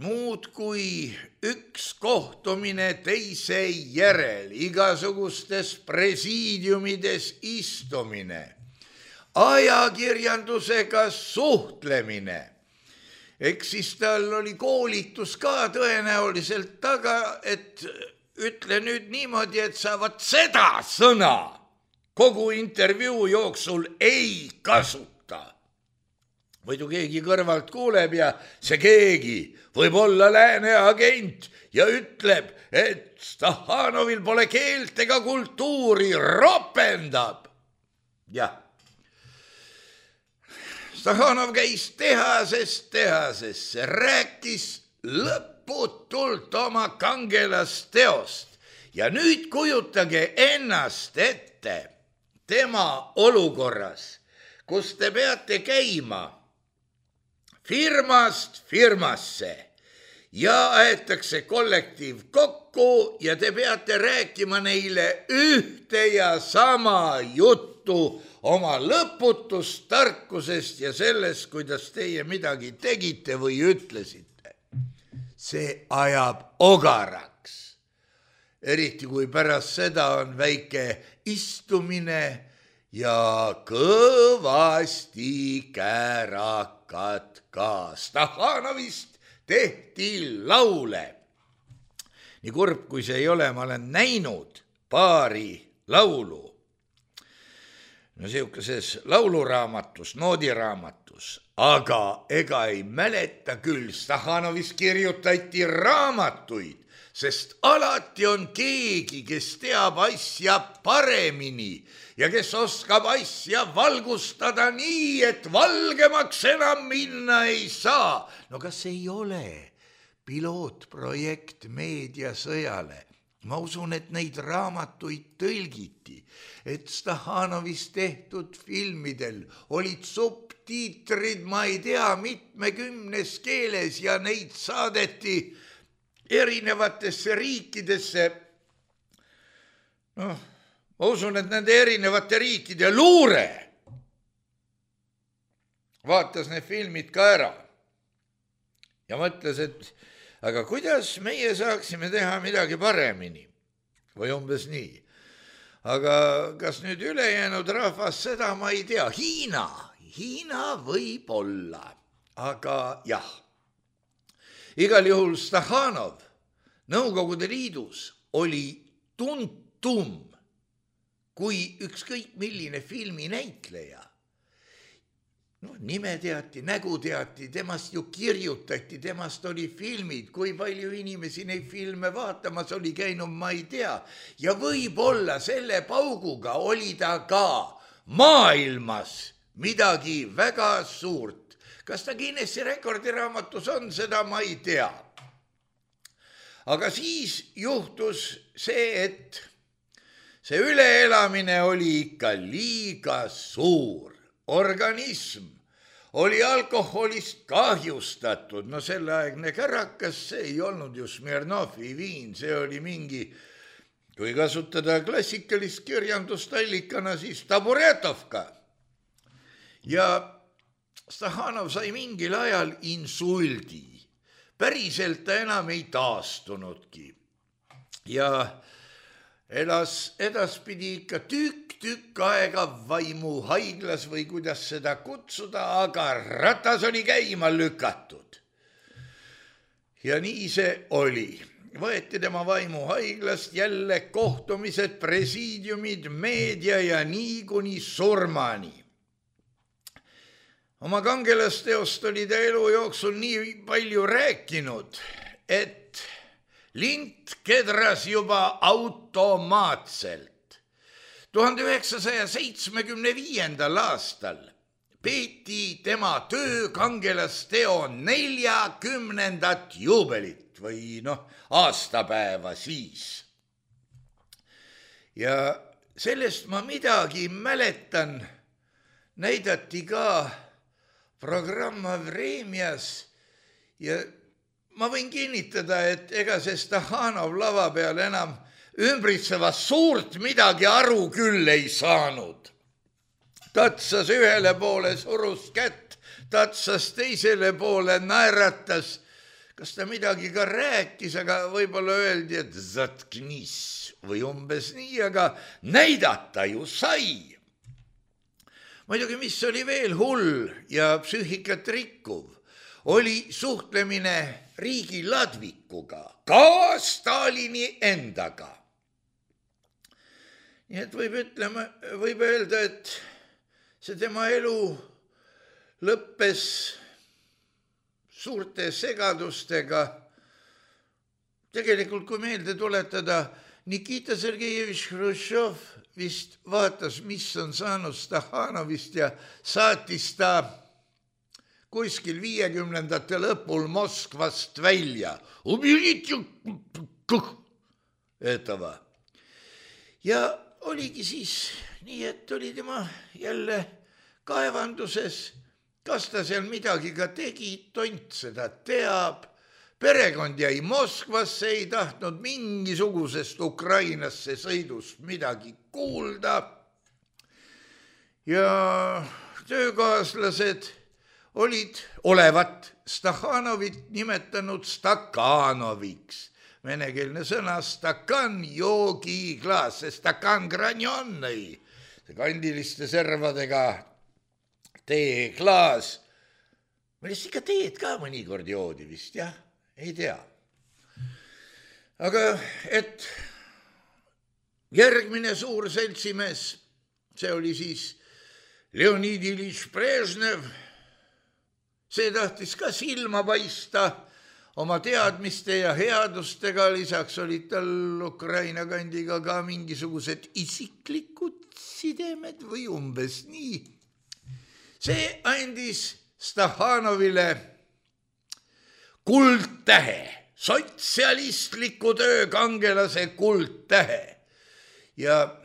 Muud kui üks kohtumine teise järel, igasugustes presiidiumides istumine, ajakirjandusega suhtlemine. Eks siis tal oli koolitus ka tõenäoliselt taga, et ütle nüüd niimoodi, et sa vaat seda sõna kogu intervjuu jooksul ei kasuta. Võidu keegi kõrvalt kuuleb ja see keegi võib olla lääne agent ja ütleb, et Stahhanovil pole keelt ega kultuuri, ropendab. Jah. Stahhanov käis tehasest tehasesse, rääkis lõputult oma kangelasteost ja nüüd kujutage ennast ette tema olukorras, kus te peate käima firmast firmasse ja aetakse kollektiiv kokku ja te peate rääkima neile ühte ja sama juttu oma lõputust tarkusest ja sellest, kuidas teie midagi tegite või ütlesite. See ajab ogaraks. Eriti kui pärast seda on väike istumine ja kõvasti kärakad ka. Stahhanovist tehti laule. Nii kurb, kui see ei ole, ma olen näinud paari laulu. No siukeses lauluraamatus, noodiraamatus, aga ega ei mäleta küll. Stahhanovist kirjutati raamatuid, sest alati on keegi, kes teab asja paremini ja kes oskab asja valgustada nii, et valgemaks enam minna ei saa. No kas ei ole pilootprojekt meediasõjale? Ma usun, et neid raamatuid tõlgiti, et Stahhanovist tehtud filmidel olid subtiitrid, ma ei tea, mitmekümnes keeles ja neid saadeti erinevatesse riikidesse. Noh, ma usun, et nende erinevate riikide luure vaatas need filmid ka ära ja mõtles, et aga kuidas meie saaksime teha midagi paremini või umbes nii. Aga kas nüüd ülejäänud rahvas, seda ma ei tea. Hiina võib olla, aga jah. Igal juhul Stahhanov Nõukogude Liidus oli tuntum kui ükskõik milline filminäitleja. No, nime teati, nägu teati, temast ju kirjutati, temast oli filmid, kui palju inimesi neid filme vaatamas oli käinud, ma ei tea. Ja võib-olla selle pauguga oli ta ka maailmas midagi väga suurt. Kas ta Guinessi rekordiraamatus on, seda ma ei tea. Aga siis juhtus see, et see üleelamine oli ikka liiga suur. Organism oli alkoholist kahjustatud. No selleaegne kärakas, see ei olnud ju Smirnovi viin, see oli mingi, kui kasutada klassikalist kirjandust allikana, siis Taburetovka. Ja Stahhanov sai mingil ajal insuldi. Päriselt ta enam ei taastunudki. Ja elas edaspidi ikka tükk aega vaimuhaiglas või kuidas seda kutsuda, aga ratas oli käima lükatud. Ja nii see oli. Võeti tema vaimuhaiglast jälle kohtumised, presiidiumid, meedia ja nii kuni surmani. Oma kangelasteost oli ta elu jooksul nii palju rääkinud, et lint kedras juba automaatselt. 1975. aastal peeti tema töökangelasteo 40. juubelit või aastapäeva siis. Ja sellest ma midagi mäletan, näidati ka programma Vremjas ja ma võin kinnitada, et ega see Stakhanov lava peal enam ümbritsevast suurt midagi aru küll ei saanud. Tatsas ühele poole, surus kätt, tatsas teisele poole, naeratas. Kas ta midagi ka rääkis, aga võib-olla öeldi, et zatknis või umbes nii, aga näidata ju sai. Muidugi, mis oli veel hull ja psüühikat rikkuv, oli suhtlemine riigi ladvikuga, ka Stalini endaga. Nii et võib öelda, et see tema elu lõppes suurte segadustega. Tegelikult, kui meelde tuletada, Nikita Sergejevich Hruštšov vist vaatas, mis on saanud Stakhanovist ja saatis ta kuskil 50ndate lõpul Moskvast välja. Ja oligi siis nii, et oli tema jälle kaevanduses. Kas ta seal midagi ka tegi, tont seda teab. Perekond jäi Moskvasse, ei tahtnud mingisugusest Ukrainasse sõidust midagi kuulda. Ja töökaaslased olevat Stakhanovit nimetanud Stakanoviks. Venekeelne sõna stakan, joogi klaas, see stakan granjonnei, see kandiliste servadega teeklaas. Millest ikka teed ka mõnikord joodi vist, jah? Ei tea. Aga et järgmine suur seltsimees, see oli siis Leonid Iljitš Brežnev, see tahtis ka silma paista oma teadmiste ja headustega, lisaks olid tal Ukraina kandiga ka mingisugused isiklikud sidemed või umbes nii. See andis Stakhanovile kuldtähe, sotsialistliku töökangelase kuldtähe. Ja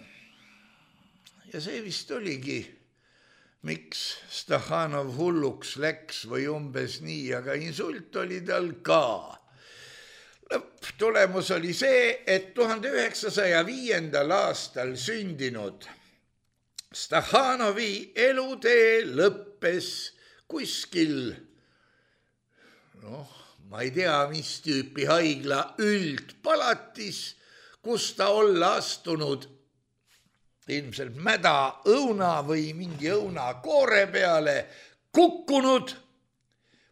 see vist oligi, miks Stakhanov hulluks läks või umbes nii, aga insult oli tal ka. Lõpptulemus oli see, et 1905. aastal sündinud Stakhanovi elutee lõppes kuskil, ma ei tea, mis tüüpi haigla üldpalatis, kus ta olla astunud ilmselt mäda õuna või mingi õunakoore peale, kukkunud,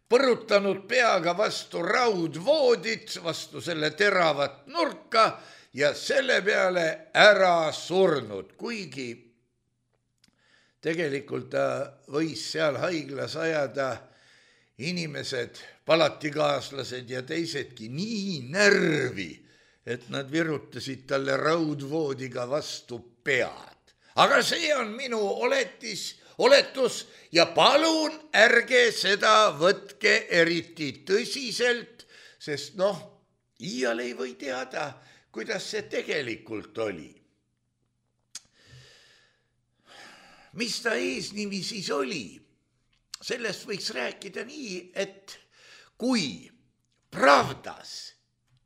põrutanud peaga vastu raudvoodit, vastu selle teravat nurka ja selle peale ära surnud, kuigi tegelikult ta võis seal haiglas ajada inimesed, palatikaaslased ja teisedki nii närvi, et nad virutasid talle raudvoodiga vastu pead. Aga see on minu oletus ja palun ärge seda võtke eriti tõsiselt, sest iial ei või teada, kuidas see tegelikult oli. Mis ta eesnimi siis oli? Sellest võiks rääkida nii, et kui Pravdas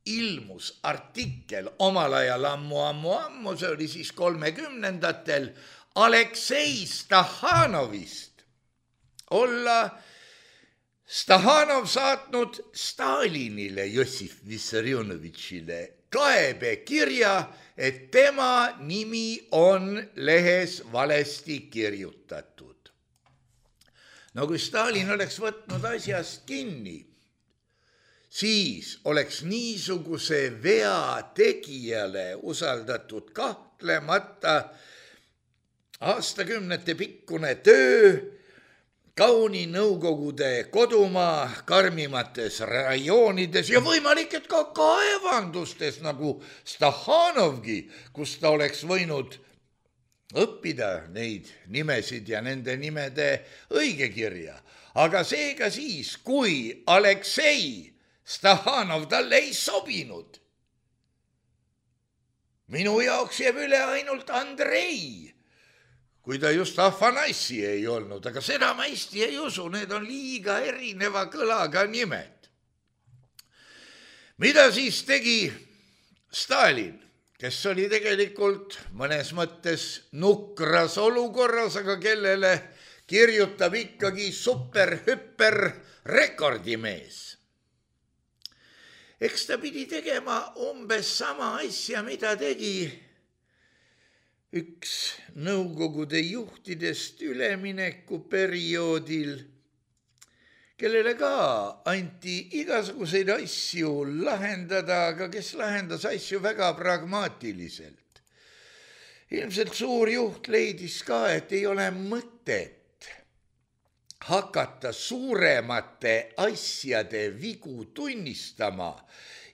ilmus artikkel omal ajal ammu, see oli siis 30ndatel, Aleksei Stakhanovist olla Stakhanov saatnud Stalinile, Jossif Vissarionovitšile kaebekirja, et tema nimi on lehes valesti kirjutatud. No kui Stalin oleks võtnud asjast kinni, siis oleks niisuguse vea tegijale usaldatud kahtlemata aastakümnete pikkune töö kauni Nõukogude kodumaa karmimates rajoonides ja võimalik, et ka kaevandustes nagu Stakhanovgi, kus ta oleks võinud õppida neid nimesid ja nende nimede õigekirja. Aga seega siis, kui Aleksei Stahanov talle ei sobinud, minu jaoks jääb üle ainult Andrei, kui ta just Afanassi ei olnud, aga seda ma hästi ei usu, need on liiga erineva kõlaga nimed. Mida siis tegi Stalin, kes oli tegelikult mõnes mõttes nukras olukorras, aga kellele kirjutab ikkagi super-hüper rekordimees? Eks ta pidi tegema umbes sama asja, mida tegi üks Nõukogude juhtidest üleminekuperioodil, kellele ka anti igasuguseid asju lahendada, aga kes lahendas asju väga pragmaatiliselt. Ilmselt suur juht leidis ka, et ei ole mõtet hakata suuremate asjade vigu tunnistama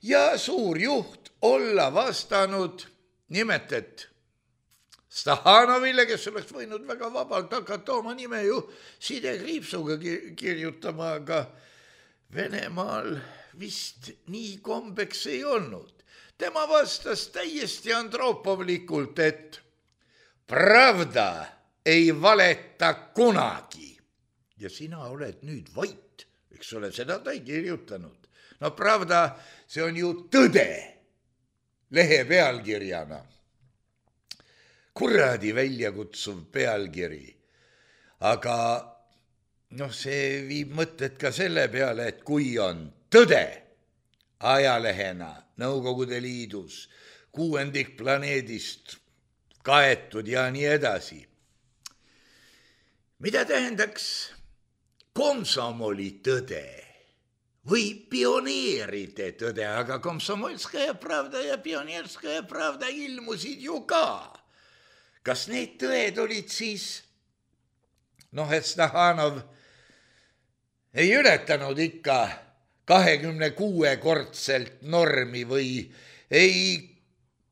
ja suur juht olla vastanud nimelt, et Stahanovile, kes oleks võinud väga vabalt hakata oma nime ju sidekriipsuga kirjutama, aga Venemaal vist nii kombeks ei olnud. Tema vastas täiesti andropovlikult, et pravda ei valeta kunagi. Ja sina oled nüüd vait, eks ole, seda ta ei kirjutanud. No pravda, see on ju tõde lehe pealkirjana. Kuradi väljakutsuv pealkiri. Aga see viib mõtted ka selle peale, et kui on tõde ajalehena Nõukogude Liidus 6 planeedist kaetud ja nii edasi. Mida tähendaks komsomoli tõde või pioneeride tõde, aga Komsomolskaja pravda ja Pioneerskaja pravda ilmusid ju ka. Kas need tõed olid siis, et Stahanov ei ületanud ikka 26-kordselt normi või ei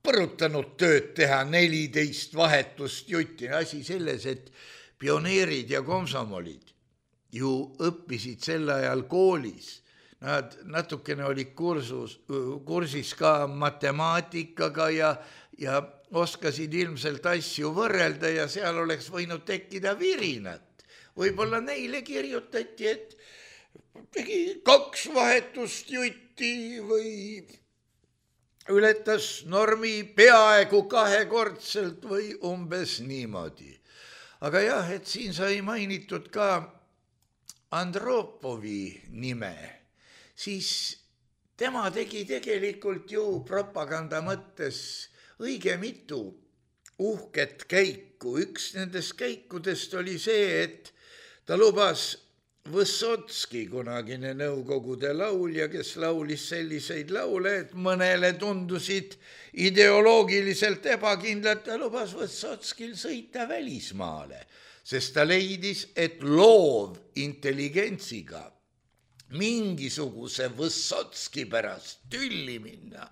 põrutanud tööd teha 14 vahetust jutti. Asi selles, et pioneerid ja komsomolid ju õppisid sel ajal koolis. Nad natukene olid kursis ka matemaatikaga ja oskasid ilmselt asju võrrelda ja seal oleks võinud tekkida virinat. Võib-olla neile kirjutati, et tegi 2 vahetust jutti või ületas normi peaaegu 2-kordselt või umbes niimoodi. Aga jah, et siin sai mainitud ka Andropovi nime, siis tema tegi tegelikult ju propaganda mõttes õige mitu uhket käiku. Üks nendest käikudest oli see, et ta lubas Võssotski, kunagine Nõukogude laulja, kes laulis selliseid laule, et mõnele tundusid ideoloogiliselt ebakindlad, ta lubas Võssotskil sõita välismaale, sest ta leidis, et loov intelligentsiga mingisuguse Võssotski pärast tülli minna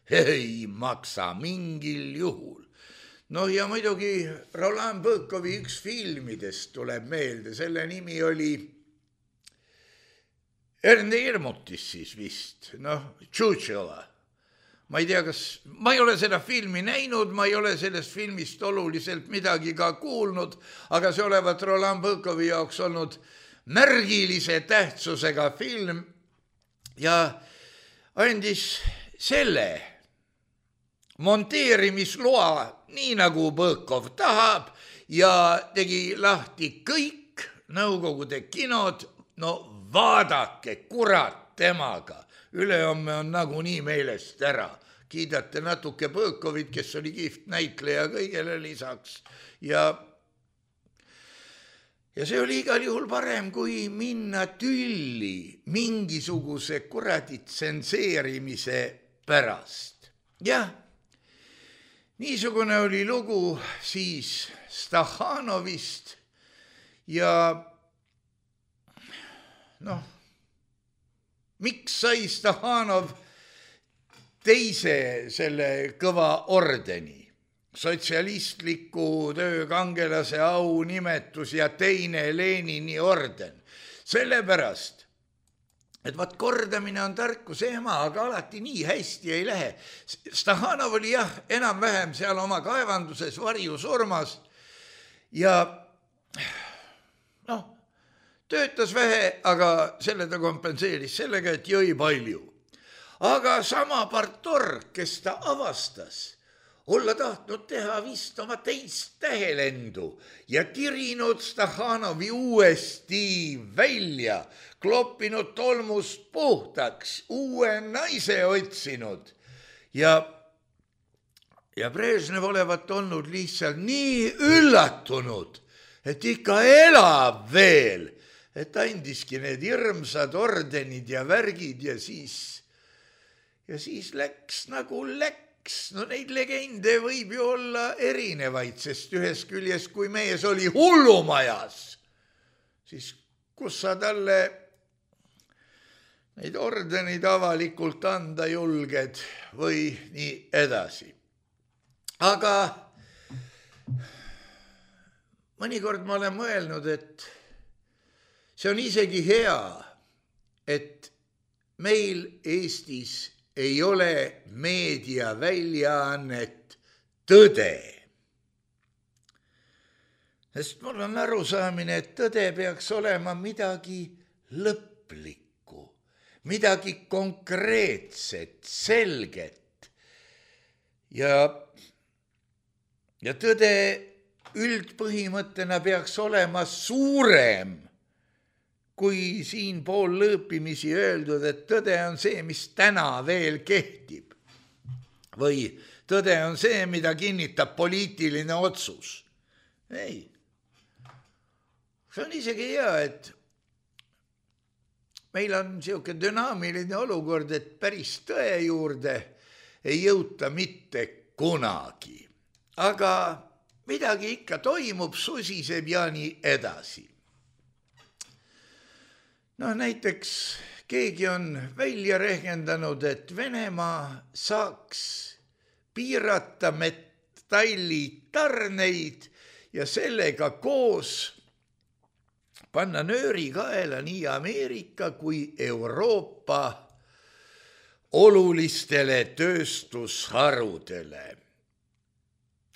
ei maksa mingil juhul. Ja muidugi Roland Bõkovi üks filmidest tuleb meelde, selle nimi oli Erne Irmutis siis vist, Tšutšela. Ma ei tea, ma ei ole seda filmi näinud, ma ei ole sellest filmist oluliselt midagi ka kuulnud, aga see olevat Roland Bõkovi jaoks olnud märgilise tähtsusega film ja andis selle monteerimisloa nii nagu Bõkov tahab ja tegi lahti kõik Nõukogude kinod. Vaadake, kurat temaga, ülehomme on nagunii meelest ära. Kiidate natuke Bõkovit, kes oli kihvt näitleja kõigele lisaks ja see oli igal juhul parem, kui minna tülli mingisuguse kuradi tsenseerimise pärast. Jah, niisugune oli lugu siis Stahanovist ja miks sai Stahanov teise selle kõva ordeni? sotsialistliku töökangelase aunimetus ja teine Lenini orden. Sellepärast, et vaat kordamine on tarkuse ema, aga alati nii hästi ei lähe. Stakhanov oli enam-vähem seal oma kaevanduses varjusurmas ja töötas vähe, aga selle ta kompenseeris sellega, et jõi palju. Aga sama partorg, kes ta avastas, olla tahtnud teha vist oma teist tähelendu ja tirinud Stakhanovi uuesti välja, kloppinud tolmust puhtaks, uue naise otsinud ja Brežnev olevat olnud lihtsalt nii üllatunud, et ikka elab veel, et andiski need hirmsad ordenid ja värgid ja siis läks nagu läks. No neid legende võib ju olla erinevaid, sest ühes küljes, kui mees oli hullumajas, siis kus sa talle neid ordenid avalikult anda julged või nii edasi. Aga mõnikord ma olen mõelnud, et see on isegi hea, et meil Eestis ei ole meediaväljaannet Tõde. Sest mul on arusaamine, et tõde peaks olema midagi lõplikku, midagi konkreetset, selget. Ja tõde üldpõhimõttena peaks olema suurem, kui siin pool lõõpimisi öeldud, et tõde on see, mis täna veel kehtib. Või tõde on see, mida kinnitab poliitiline otsus. Ei. See on isegi hea, et meil on niisugune dünaamiline olukord, et päris tõe juurde ei jõuta mitte kunagi. Aga midagi ikka toimub, susiseb ja nii edasi. Näiteks keegi on välja rehkendanud, et Venemaa saaks piirata metallitarneid ja sellega koos panna nööri kaela nii Ameerika kui Euroopa olulistele tööstusharudele.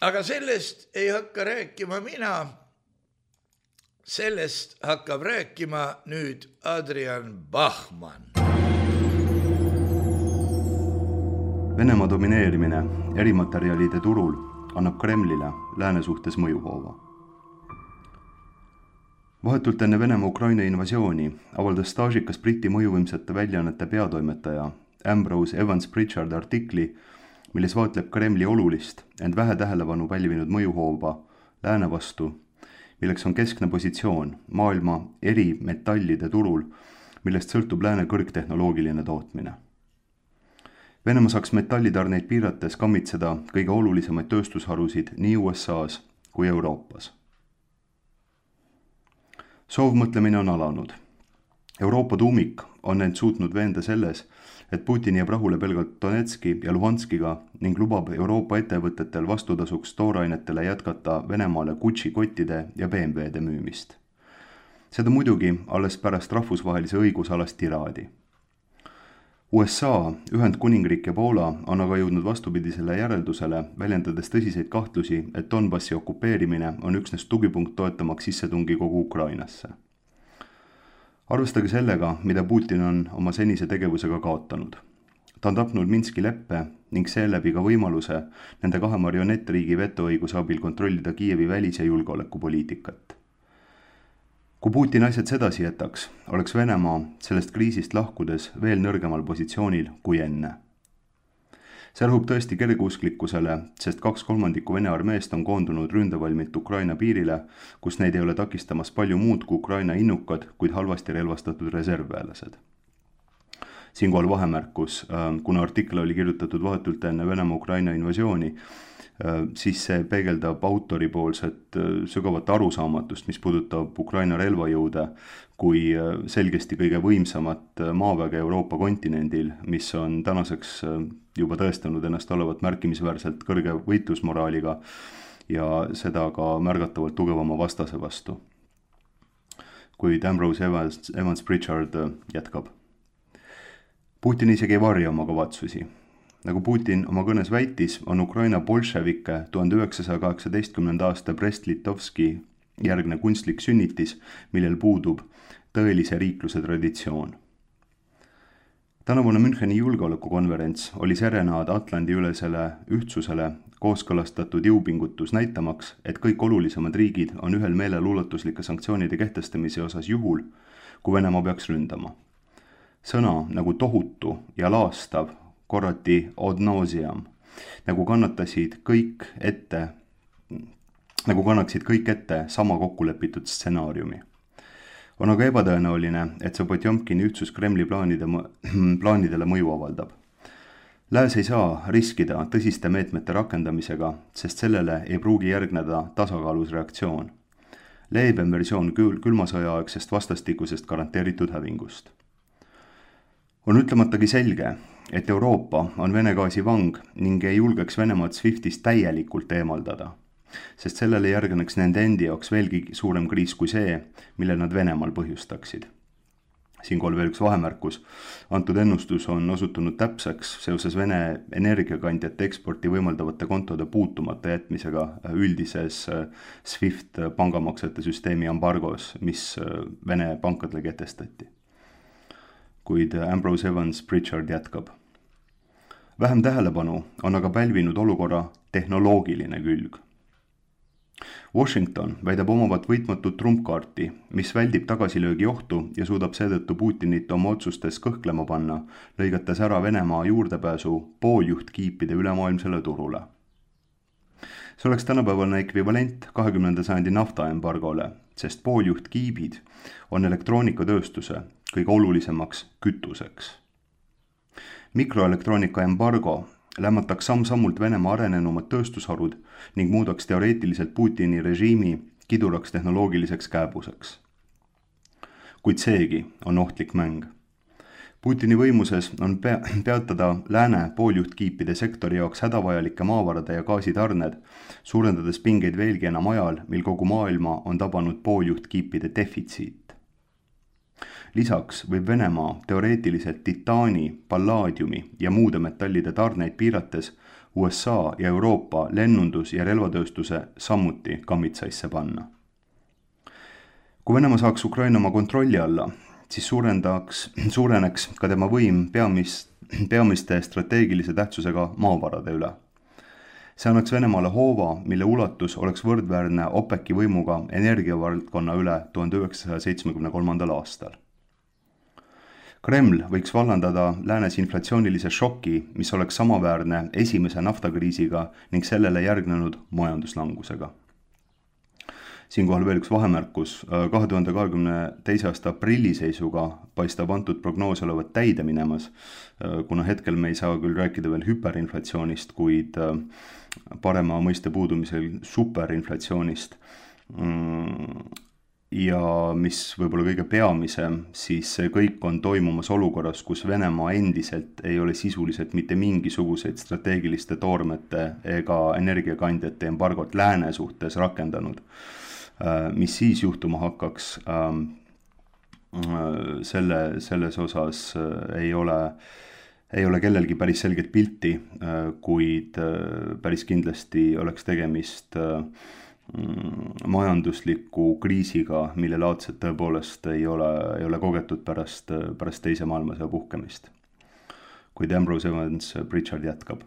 Aga sellest ei hakka rääkima mina. Sellest hakkab rääkima nüüd Adrian Bachmann.
Venemaa domineerimine erimaterjalide turul annab Kremlile lääne suhtes mõjuhoova. Vahetult enne Venemaa Ukraina invasiooni avaldas staažikas Briti mõjuvõimsate väljaannete peatoimetaja Ambrose Evans Pritchard artikli, milles vaatleb Kremli olulist, ent vähe tähelepanu pälvinud mõjuhoova lääne vastu, milleks on keskne positsioon maailma eri metallide turul, millest sõltub lääne kõrgtehnoloogiline tootmine. Venemaa saaks metallitarneid piirates kammitseda kõige olulisemaid tööstusharusid nii USA-s kui Euroopas. Soovmõtlemine on alanud. Euroopa tuumik on end suutnud veenda selles, et Putin jääb rahule pelgalt Donetski ja Luhanskiga ning lubab Euroopa ettevõtetel vastutasuks toorainetele jätkata Venemaale Gucci kottide ja BMW-de müümist. Seda muidugi alles pärast rahvusvahelise õigusalast tiraadi. USA, Ühendkuningriik ja Poola on aga jõudnud vastupidisele järeldusele, väljendades tõsiseid kahtlusi, et Donbassi okupeerimine on üksnes tugipunkt toetamaks sissetungi kogu Ukrainasse. Arvestage sellega, mida Putin on oma senise tegevusega kaotanud. Ta on tapnud Minski leppe ning seeläbi ka võimaluse nende kahe marionettriigi vetoõiguse abil kontrollida Kiievi välis- ja julgeolekupoliitikat. Kui Putin asjad sedasi jätaks, oleks Venemaa sellest kriisist lahkudes veel nõrgemal positsioonil kui enne. See rõhub tõesti kergeusklikkusele, sest 2/3 Vene armeest on koondunud ründevalmilt Ukraina piirile, kus neid ei ole takistamas palju muud kui Ukraina innukad, kuid halvasti relvastatud reservväelased. Siinkohal vahemärkus, kuna artikkel oli kirjutatud vahetult enne Venemaa Ukraina invasiooni, siis see peegeldab autoripoolset sügavat arusaamatust, mis puudutab Ukraina relvajõude kui selgesti kõige võimsamat maaväge Euroopa kontinendil, mis on tänaseks juba tõestanud ennast olevat märkimisväärselt kõrge võitlusmoraaliga ja seda ka märgatavalt tugevama vastase vastu. Kuid Ambrose Evans Pritchard jätkab. Putin isegi ei varja oma kavatsusi. Nagu Putin oma kõnes väitis, on Ukraina bolševike 1918. aasta Brest-Litovski järgne kunstlik sünnitis, millel puudub tõelise riikluse traditsioon. Tänavune Müncheni julgeolekukonverents oli serenaad Atlandi-ülesele ühtsusele kooskõlastatud jõupingutus näitamaks, et kõik olulisemad riigid on ühel meelel ulatuslikke sanktsioonide kehtestamise osas juhul, kui Venemaa peaks ründama. Sõna nagu tohutu ja laastav korrati ad nauseam, nagu kannaksid kõik ette sama kokkulepitud stsenaariumi. On aga ebatõenäoline, et see Potjomkini ühtsus Kremli plaanidele mõju avaldab. Lääs ei saa riskida tõsiste meetmete rakendamisega, sest sellele ei pruugi järgneda tasakaalus reaktsioon. Leebem versioon külmasõjaaegsest vastastikusest garanteeritud hävingust. On ütlematagi selge, et Euroopa on Vene gaasi vang ning ei julgeks Venemaad SWIFTist täielikult eemaldada, sest sellele järgneks nende endi jaoks veelgi suurem kriis kui see, mille nad Venemaal põhjustaksid. Siinkohal veel üks vahemärkus. Antud ennustus on osutunud täpseks seoses Vene energiakandjate eksporti võimaldavate kontode puutumata jätmisega üldises SWIFT pangamaksete süsteemi embargos, mis Vene pankadele kehtestati. Kuid Ambrose Evans Pritchard jätkab. Vähem tähelepanu on aga pälvinud olukorra tehnoloogiline külg. Washington väidab omavat võitmatut trumpkaarti, mis väldib tagasilöögi ohtu ja suudab seetõttu Putinit oma otsustes kõhklema panna, lõigates ära Venemaa juurdepääsu pooljuhtkiipide ülemaailmsele turule. See oleks tänapäevane ekvivalent 20. sajandi naftaembargole, sest pooljuhtkiibid on elektroonikatööstuse kõige olulisemaks kütuseks. Mikroelektroonika embargo lämmataks samm-sammult Venemaa arenenumad tööstusharud ning muudaks teoreetiliselt Putini režiimi kiduraks tehnoloogiliseks kääbuseks. Kuid seegi on ohtlik mäng. Putini võimuses on peatada lääne pooljuhtkiipide sektori jaoks hädavajalike maavarade ja gaasitarned, suurendades pingeid veelgi enam ajal, mil kogu maailma on tabanud pooljuhtkiipide defitsiit. Lisaks võib Venemaa teoreetiliselt titaani, pallaadiumi ja muude metallide tarneid piirates USA ja Euroopa lennundus- ja relvatööstuse samuti kammitsaisse panna. Kui Venemaa saaks Ukraina oma kontrolli alla, siis suureneks ka tema võim peamiste strateegilise tähtsusega maavarade üle. See annaks Venemaale hoova, mille ulatus oleks võrdväärne OPEC-i võimuga energiavaldkonna üle 1973. aastal. Kreml võiks vallandada läänes inflatsioonilise šoki, mis oleks samaväärne esimese naftakriisiga ning sellele järgnenud majanduslangusega. Siinkohal veel üks vahemärkus. 2022. aasta aprilli seisuga paistab antud prognoos olevat täide minemas, kuna hetkel me ei saa küll rääkida veel hüperinflatsioonist, kuid parema mõiste puudumisel superinflatsioonist. Ja mis võib-olla kõige peamisem, siis see kõik on toimumas olukorras, kus Venemaa endiselt ei ole sisuliselt mitte mingisuguseid strateegiliste toormete ega energiakandjate embargot lääne suhtes rakendanud. Mis siis juhtuma hakkaks, selles osas ei ole kellelgi päris selget pilti, kuid päris kindlasti oleks tegemist majandusliku kriisiga, mille laadset tõepoolest ei ole kogetud pärast teise maailmasõja puhkemist. Kuid Ambrose Evans Pritchard jätkab.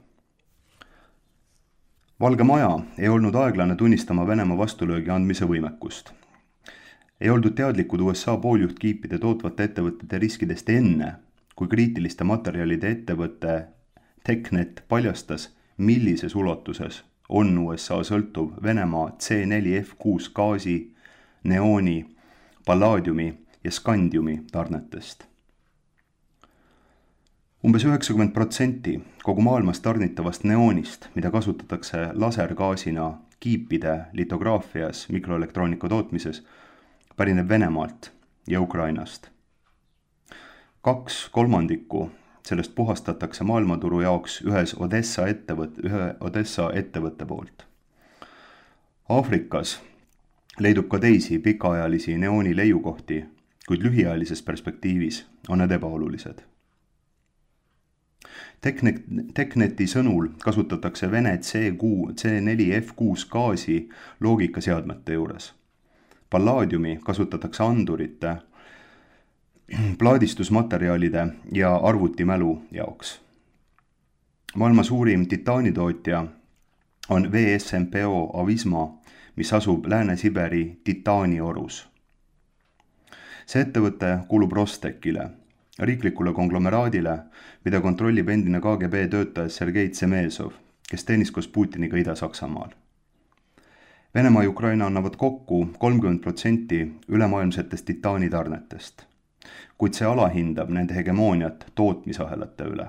Valge Maja ei olnud aeglane tunnistama Venemaa vastulöögi andmise võimekust. Ei oldud teadlikud USA pooljuhtkiipide tootvate ettevõtete riskidest enne, kui kriitiliste materjalide ettevõtte TechNet paljastas, millises ulatuses on USA sõltuv Venemaa C4F6 gaasi, neooni, pallaadiumi ja skandiumi tarnetest. Umbes 90% kogu maailmas tarnitavast neoonist, mida kasutatakse lasergaasina kiipide litograafias, mikroelektroonika tootmises, pärineb Venemaalt ja Ukrainast. 2/3 sellest puhastatakse maailmaturu jaoks ühe Odessa ettevõtte poolt. Aafrikas leidub ka teisi pikaajalisi neooni leiukohti, kuid lühiajalises perspektiivis on need ebaolulised. Tekneti sõnul kasutatakse Vene C4F6 gaasi loogikaseadmete juures. Pallaadiumi kasutatakse andurite, plaadistusmaterjalide ja arvutimälu jaoks. Maailma suurim titaanitootja on VSMPO Avisma, mis asub Lääne-Siberi titaaniorus. See ettevõte kuulub Rostechile, riiklikule konglomeraadile, mida kontrollib endine KGB töötaja Sergei Tsemezov, kes teenis koos Putiniga Ida-Saksamaal. Venemaa ja Ukraina annavad kokku 30% ülemaailmsetest titaanitarnetest, kuid see alahindab nende hegemooniat tootmisahelate üle.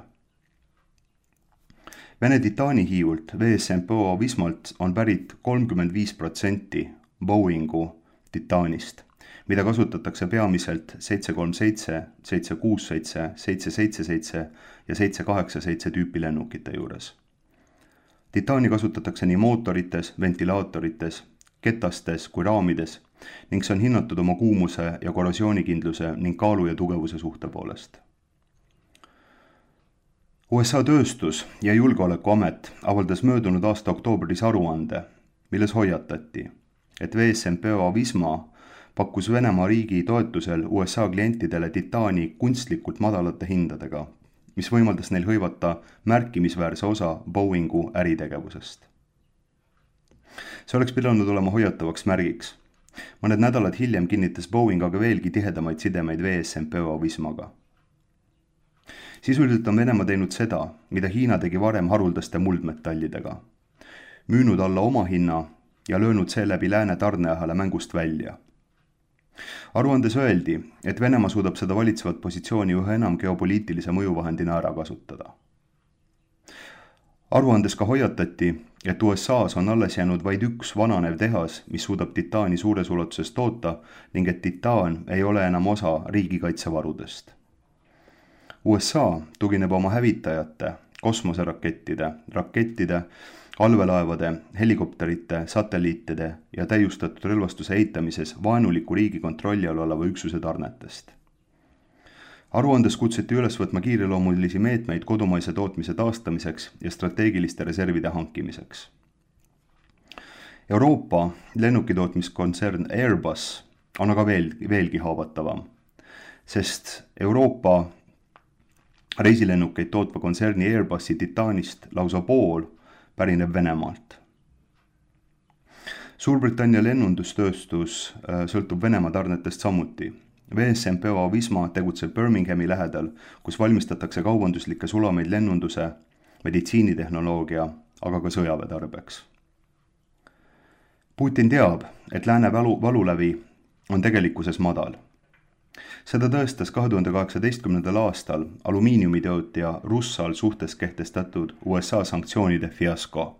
Vene titaanihiiult VSMPO Avismalt on pärit 35% Boeingu titaanist, mida kasutatakse peamiselt 737, 767, 777 ja 787 tüüpi lennukite juures. Titaani kasutatakse nii mootorites, ventilaatorites, ketastes kui raamides ning see on hinnatud oma kuumuse ja korrosioonikindluse ning kaalu ja tugevuse suhte poolest. USA tööstus- ja julgeolekuamet avaldas möödunud aasta oktoobris aruande, milles hoiatati, et VSMPO Avisma pakkus Venemaa riigi toetusel USA klientidele titaani kunstlikult madalate hindadega, mis võimaldas neil hõivata märkimisväärse osa Boeingu äritegevusest. See oleks pidanud olema hoiatavaks märgiks. Mõned nädalad hiljem kinnitas Boeing aga veelgi tihedamaid sidemeid VSMPO Avismaga. Sisuliselt on Venemaa teinud seda, mida Hiina tegi varem haruldaste muldmetallidega. Müünud alla oma hinna ja löönud seeläbi lääne tarneahela mängust välja. Aruandes öeldi, et Venemaa suudab seda valitsevat positsiooni üha enam geopoliitilise mõjuvahendina ära kasutada. Aruandes ka hoiatati, et USA's on alles jäänud vaid üks vananev tehas, mis suudab titaani suures ulatuses toota ning et titaan ei ole enam osa riigikaitsevarudest. USA tugineb oma hävitajate, kosmoserakettide, allveelaevade, helikopterite, satelliitide ja täiustatud relvastuse eitamises vaenuliku riigi kontrolli all oleva üksuse tarnetest. Aruandes kutsuti üles võtma kiireloomulisi meetmeid kodumaise tootmise taastamiseks ja strateegiliste reservide hankimiseks. Euroopa lennukitootmiskontsern Airbus on aga veelgi haavatavam, sest Euroopa reisilennukeid tootva kontserni Airbusi titaanist lausa pool pärineb Venemaalt. Suurbritannia lennundustööstus sõltub Venemaa tarnetest samuti. VSMPO Avisma tegutseb Birminghami lähedal, kus valmistatakse kaubanduslikke sulameid lennunduse, meditsiinitehnoloogia, aga ka sõjaväetarbeks. Putin teab, et lääne valulävi on tegelikkuses madal. Seda tõestas 2018. aastal alumiiniumitootja Russal suhtes kehtestatud USA sanktsioonide fiasko.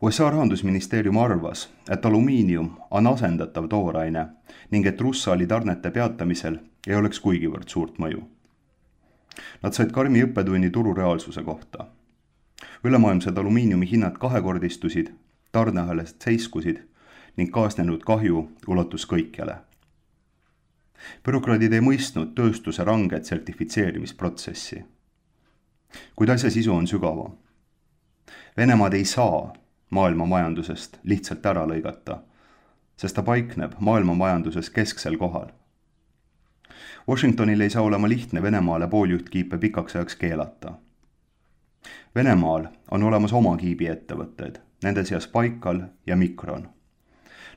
USA rahandusministeerium arvas, et alumiinium on asendatav tooraine ning et Russali tarnete peatamisel ei oleks kuigivõrd suurt mõju. Nad said karmi õppetunni turureaalsuse kohta. Ülemaailmsed alumiiniumi hinnad kahekordistusid, tarneahelast seiskusid ning kaasnenud kahju ulatus kõikjale. Bürokraadid ei mõistnud tööstuse ranget sertifitseerimisprotsessi. Kuid asja sisu on sügavam. Venemaad ei saa maailma majandusest lihtsalt ära lõigata, sest ta paikneb maailma majanduses kesksel kohal. Washingtonil ei saa olema lihtne Venemaale pooljuhtkiipe pikaks ajaks keelata. Venemaal on olemas oma kiibiettevõtted, nende seas Baikal ja Mikron.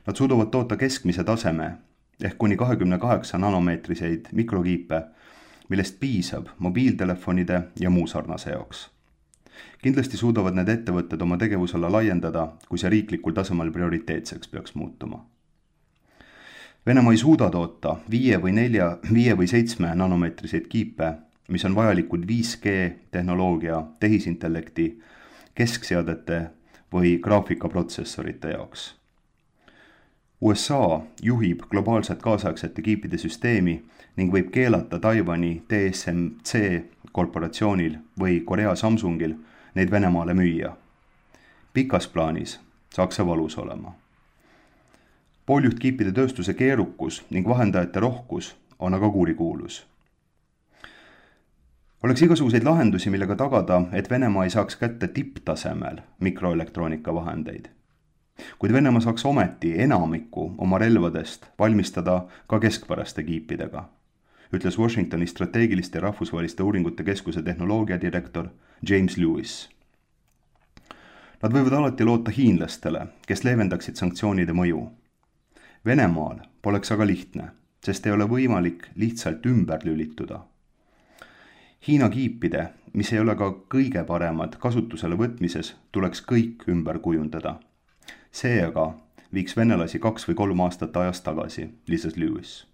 Nad suudavad toota keskmise taseme ehk kuni 28 nanomeetriseid mikrokiipe, millest piisab mobiiltelefonide ja muu sarnase jaoks. Kindlasti suudavad need ettevõtted oma tegevusala laiendada, kui see riiklikul tasemel prioriteetseks peaks muutuma. Venemaa ei suuda toota 5 või 7 nanomeetriseid kiipe, mis on vajalikud 5G tehnoloogia, tehisintellekti, keskseadete või graafikaprotsessorite jaoks. USA juhib globaalset kaasaegsete kiipide süsteemi ning võib keelata Taiwani TSMC korporatsioonil või Korea Samsungil neid Venemaale müüa. Pikas plaanis saaks see valus olema. Pooljuhtkiipide tööstuse keerukus ning vahendajate rohkus on aga kurikuulus. Oleks igasuguseid lahendusi, millega tagada, et Venemaa ei saaks kätte tipptasemel mikroelektroonika vahendeid. Kuid Venemaa saaks ometi enamiku oma relvadest valmistada ka keskpäraste kiipidega, ütles Washingtoni strateegiliste ja rahvusvaheliste uuringute keskuse tehnoloogiadirektor James Lewis. Nad võivad alati loota hiinlastele, kes leevendaksid sanktsioonide mõju. Venemaal poleks aga lihtne, sest ei ole võimalik lihtsalt ümber lülituda. Hiina kiipide, mis ei ole ka kõige paremad kasutusele võtmises, tuleks kõik ümber kujundada. See aga viiks venelasi 2 või 3 aastat ajast tagasi, lisas Lewis.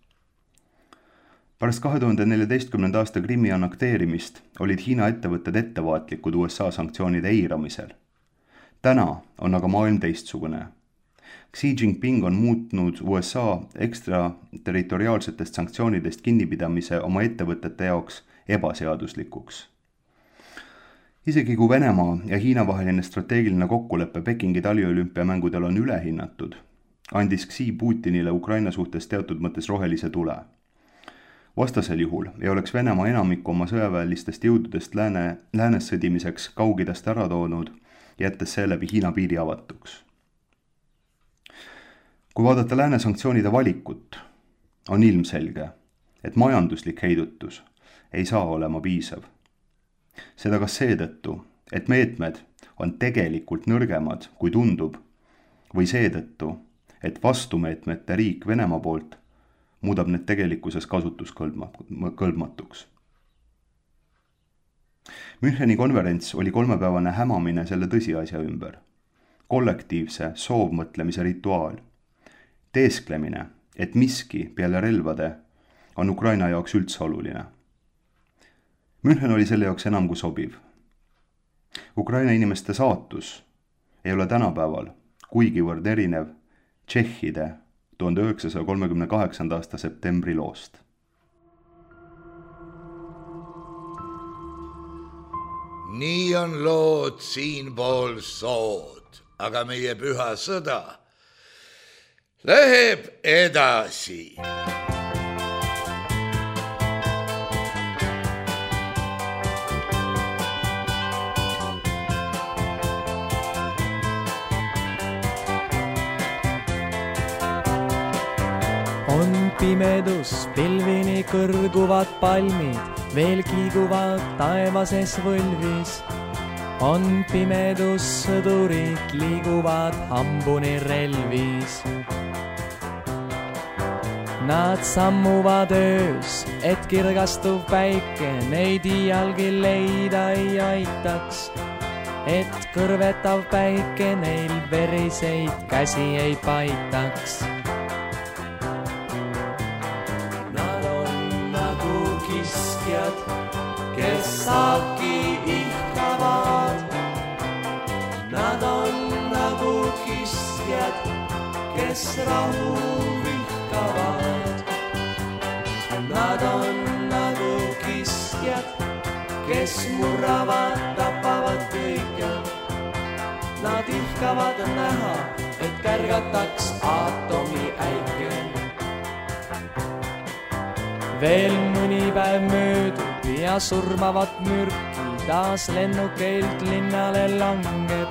Pärast 2014. aasta Krimmi annekteerimist olid Hiina ettevõtted ettevaatlikud USA sanktsioonide eiramisel. Täna on aga maailm teistsugune. Xi Jinping on muutnud USA ekstraterritoriaalsetest sanktsioonidest kinnipidamise oma ettevõtete jaoks ebaseaduslikuks. Isegi kui Venemaa ja Hiina vaheline strateegiline kokkulepe Pekingi taliolümpiamängudel on ülehinnatud, andis Xi Putinile Ukraina suhtes teatud mõttes rohelise tule. Vastasel juhul ei oleks Venemaa enamikku oma sõjaväelistest jõududest läänes sõdimiseks Kaug-Idast ära toonud, jättes seeläbi Hiina piiri avatuks. Kui vaadata lääne sanktsioonide valikut, on ilmselge, et majanduslik heidutus ei saa olema piisav. Seda ka seetõttu, et meetmed on tegelikult nõrgemad, kui tundub, või seetõttu, et vastumeetmete riik Venemaa poolt muudab need tegelikkuses kasutuskõlbmatuks. Müncheni konverents oli 3-päevane hämamine selle tõsiasja ümber. Kollektiivse soovmõtlemise rituaal. Teesklemine, et miski peale relvade on Ukraina jaoks üldse oluline. München oli selle jaoks enam kui sobiv. Ukraina inimeste saatus ei ole tänapäeval kuigivõrd erinev tšehhide 1938. aasta septembri loost.
Nii on lood siinpool sood, aga meie püha sõda läheb edasi.
On pimedus, pilvini kõrguvad palmid, veel kiiguvad taevases võlvis. On pimedus, sõdurid liiguvad hambuni relvis. Nad sammuvad öös, et kirgastuv päike neid iialgi leida ei aitaks. Et kõrvetav päike neil veriseid käsi ei paitaks. Kes saaki ihkavad, nad on nagu kiskjad, kes rahu vihkavad. Nad on nagu kiskjad, kes murravad, tapavad kõike. Nad ihkavad näha, et kärgataks aatomi äike. Veel mõni päev möödub ja surmavat mürki taas lennukeilt linnale langeb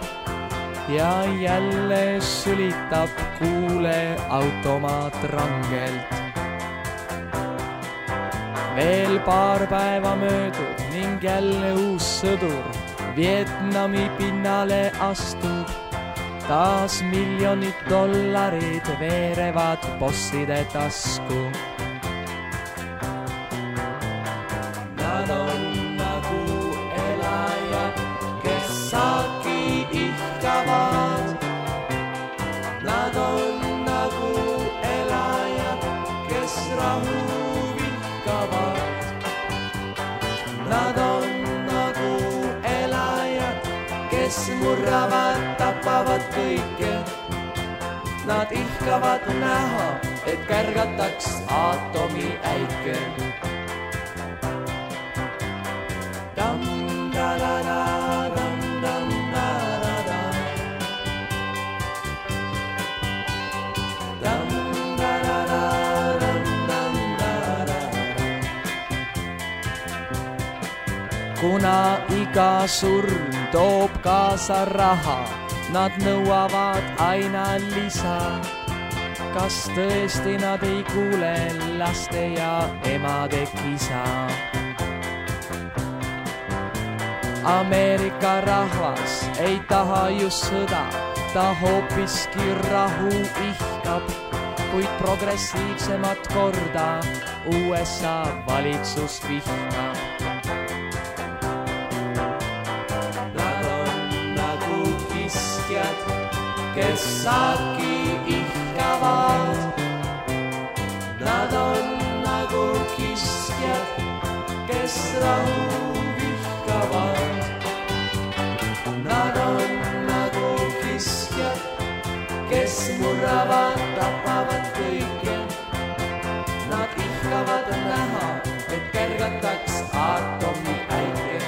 ja jälle sülitab kuule automaat rangelt. Veel paar päeva möödub ning jälle uus sõdur Vietnami pinnale astub. Taas miljonid dollarid veerevad bosside tasku. Nad on nagu elajad, kes saaki ihkavad. Nad on nagu elajad, kes rahu vihkavad. tapavad kõike. Nad ihkavad näha, et kärgataks aatomi äike. Kuna iga surm toob kaasa raha, nad nõuavad aina lisa. Kas tõesti nad ei kuule laste ja emade kisa? Ameerika rahvas ei taha just sõda, ta hoopiski rahu ihkab, kuid progressiivsemat korda USA valitsus vihkab. Kes saaki ihkavad, nad on nagu kiskjad, kes rahu vihkavad. Nad on nagu kiskjad, kes murravad, tapavad kõike. Nad ihkavad näha, et kärgataks aatomi äike.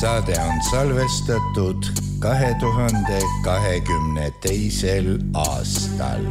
Saade on salvestatud 2022. aastal.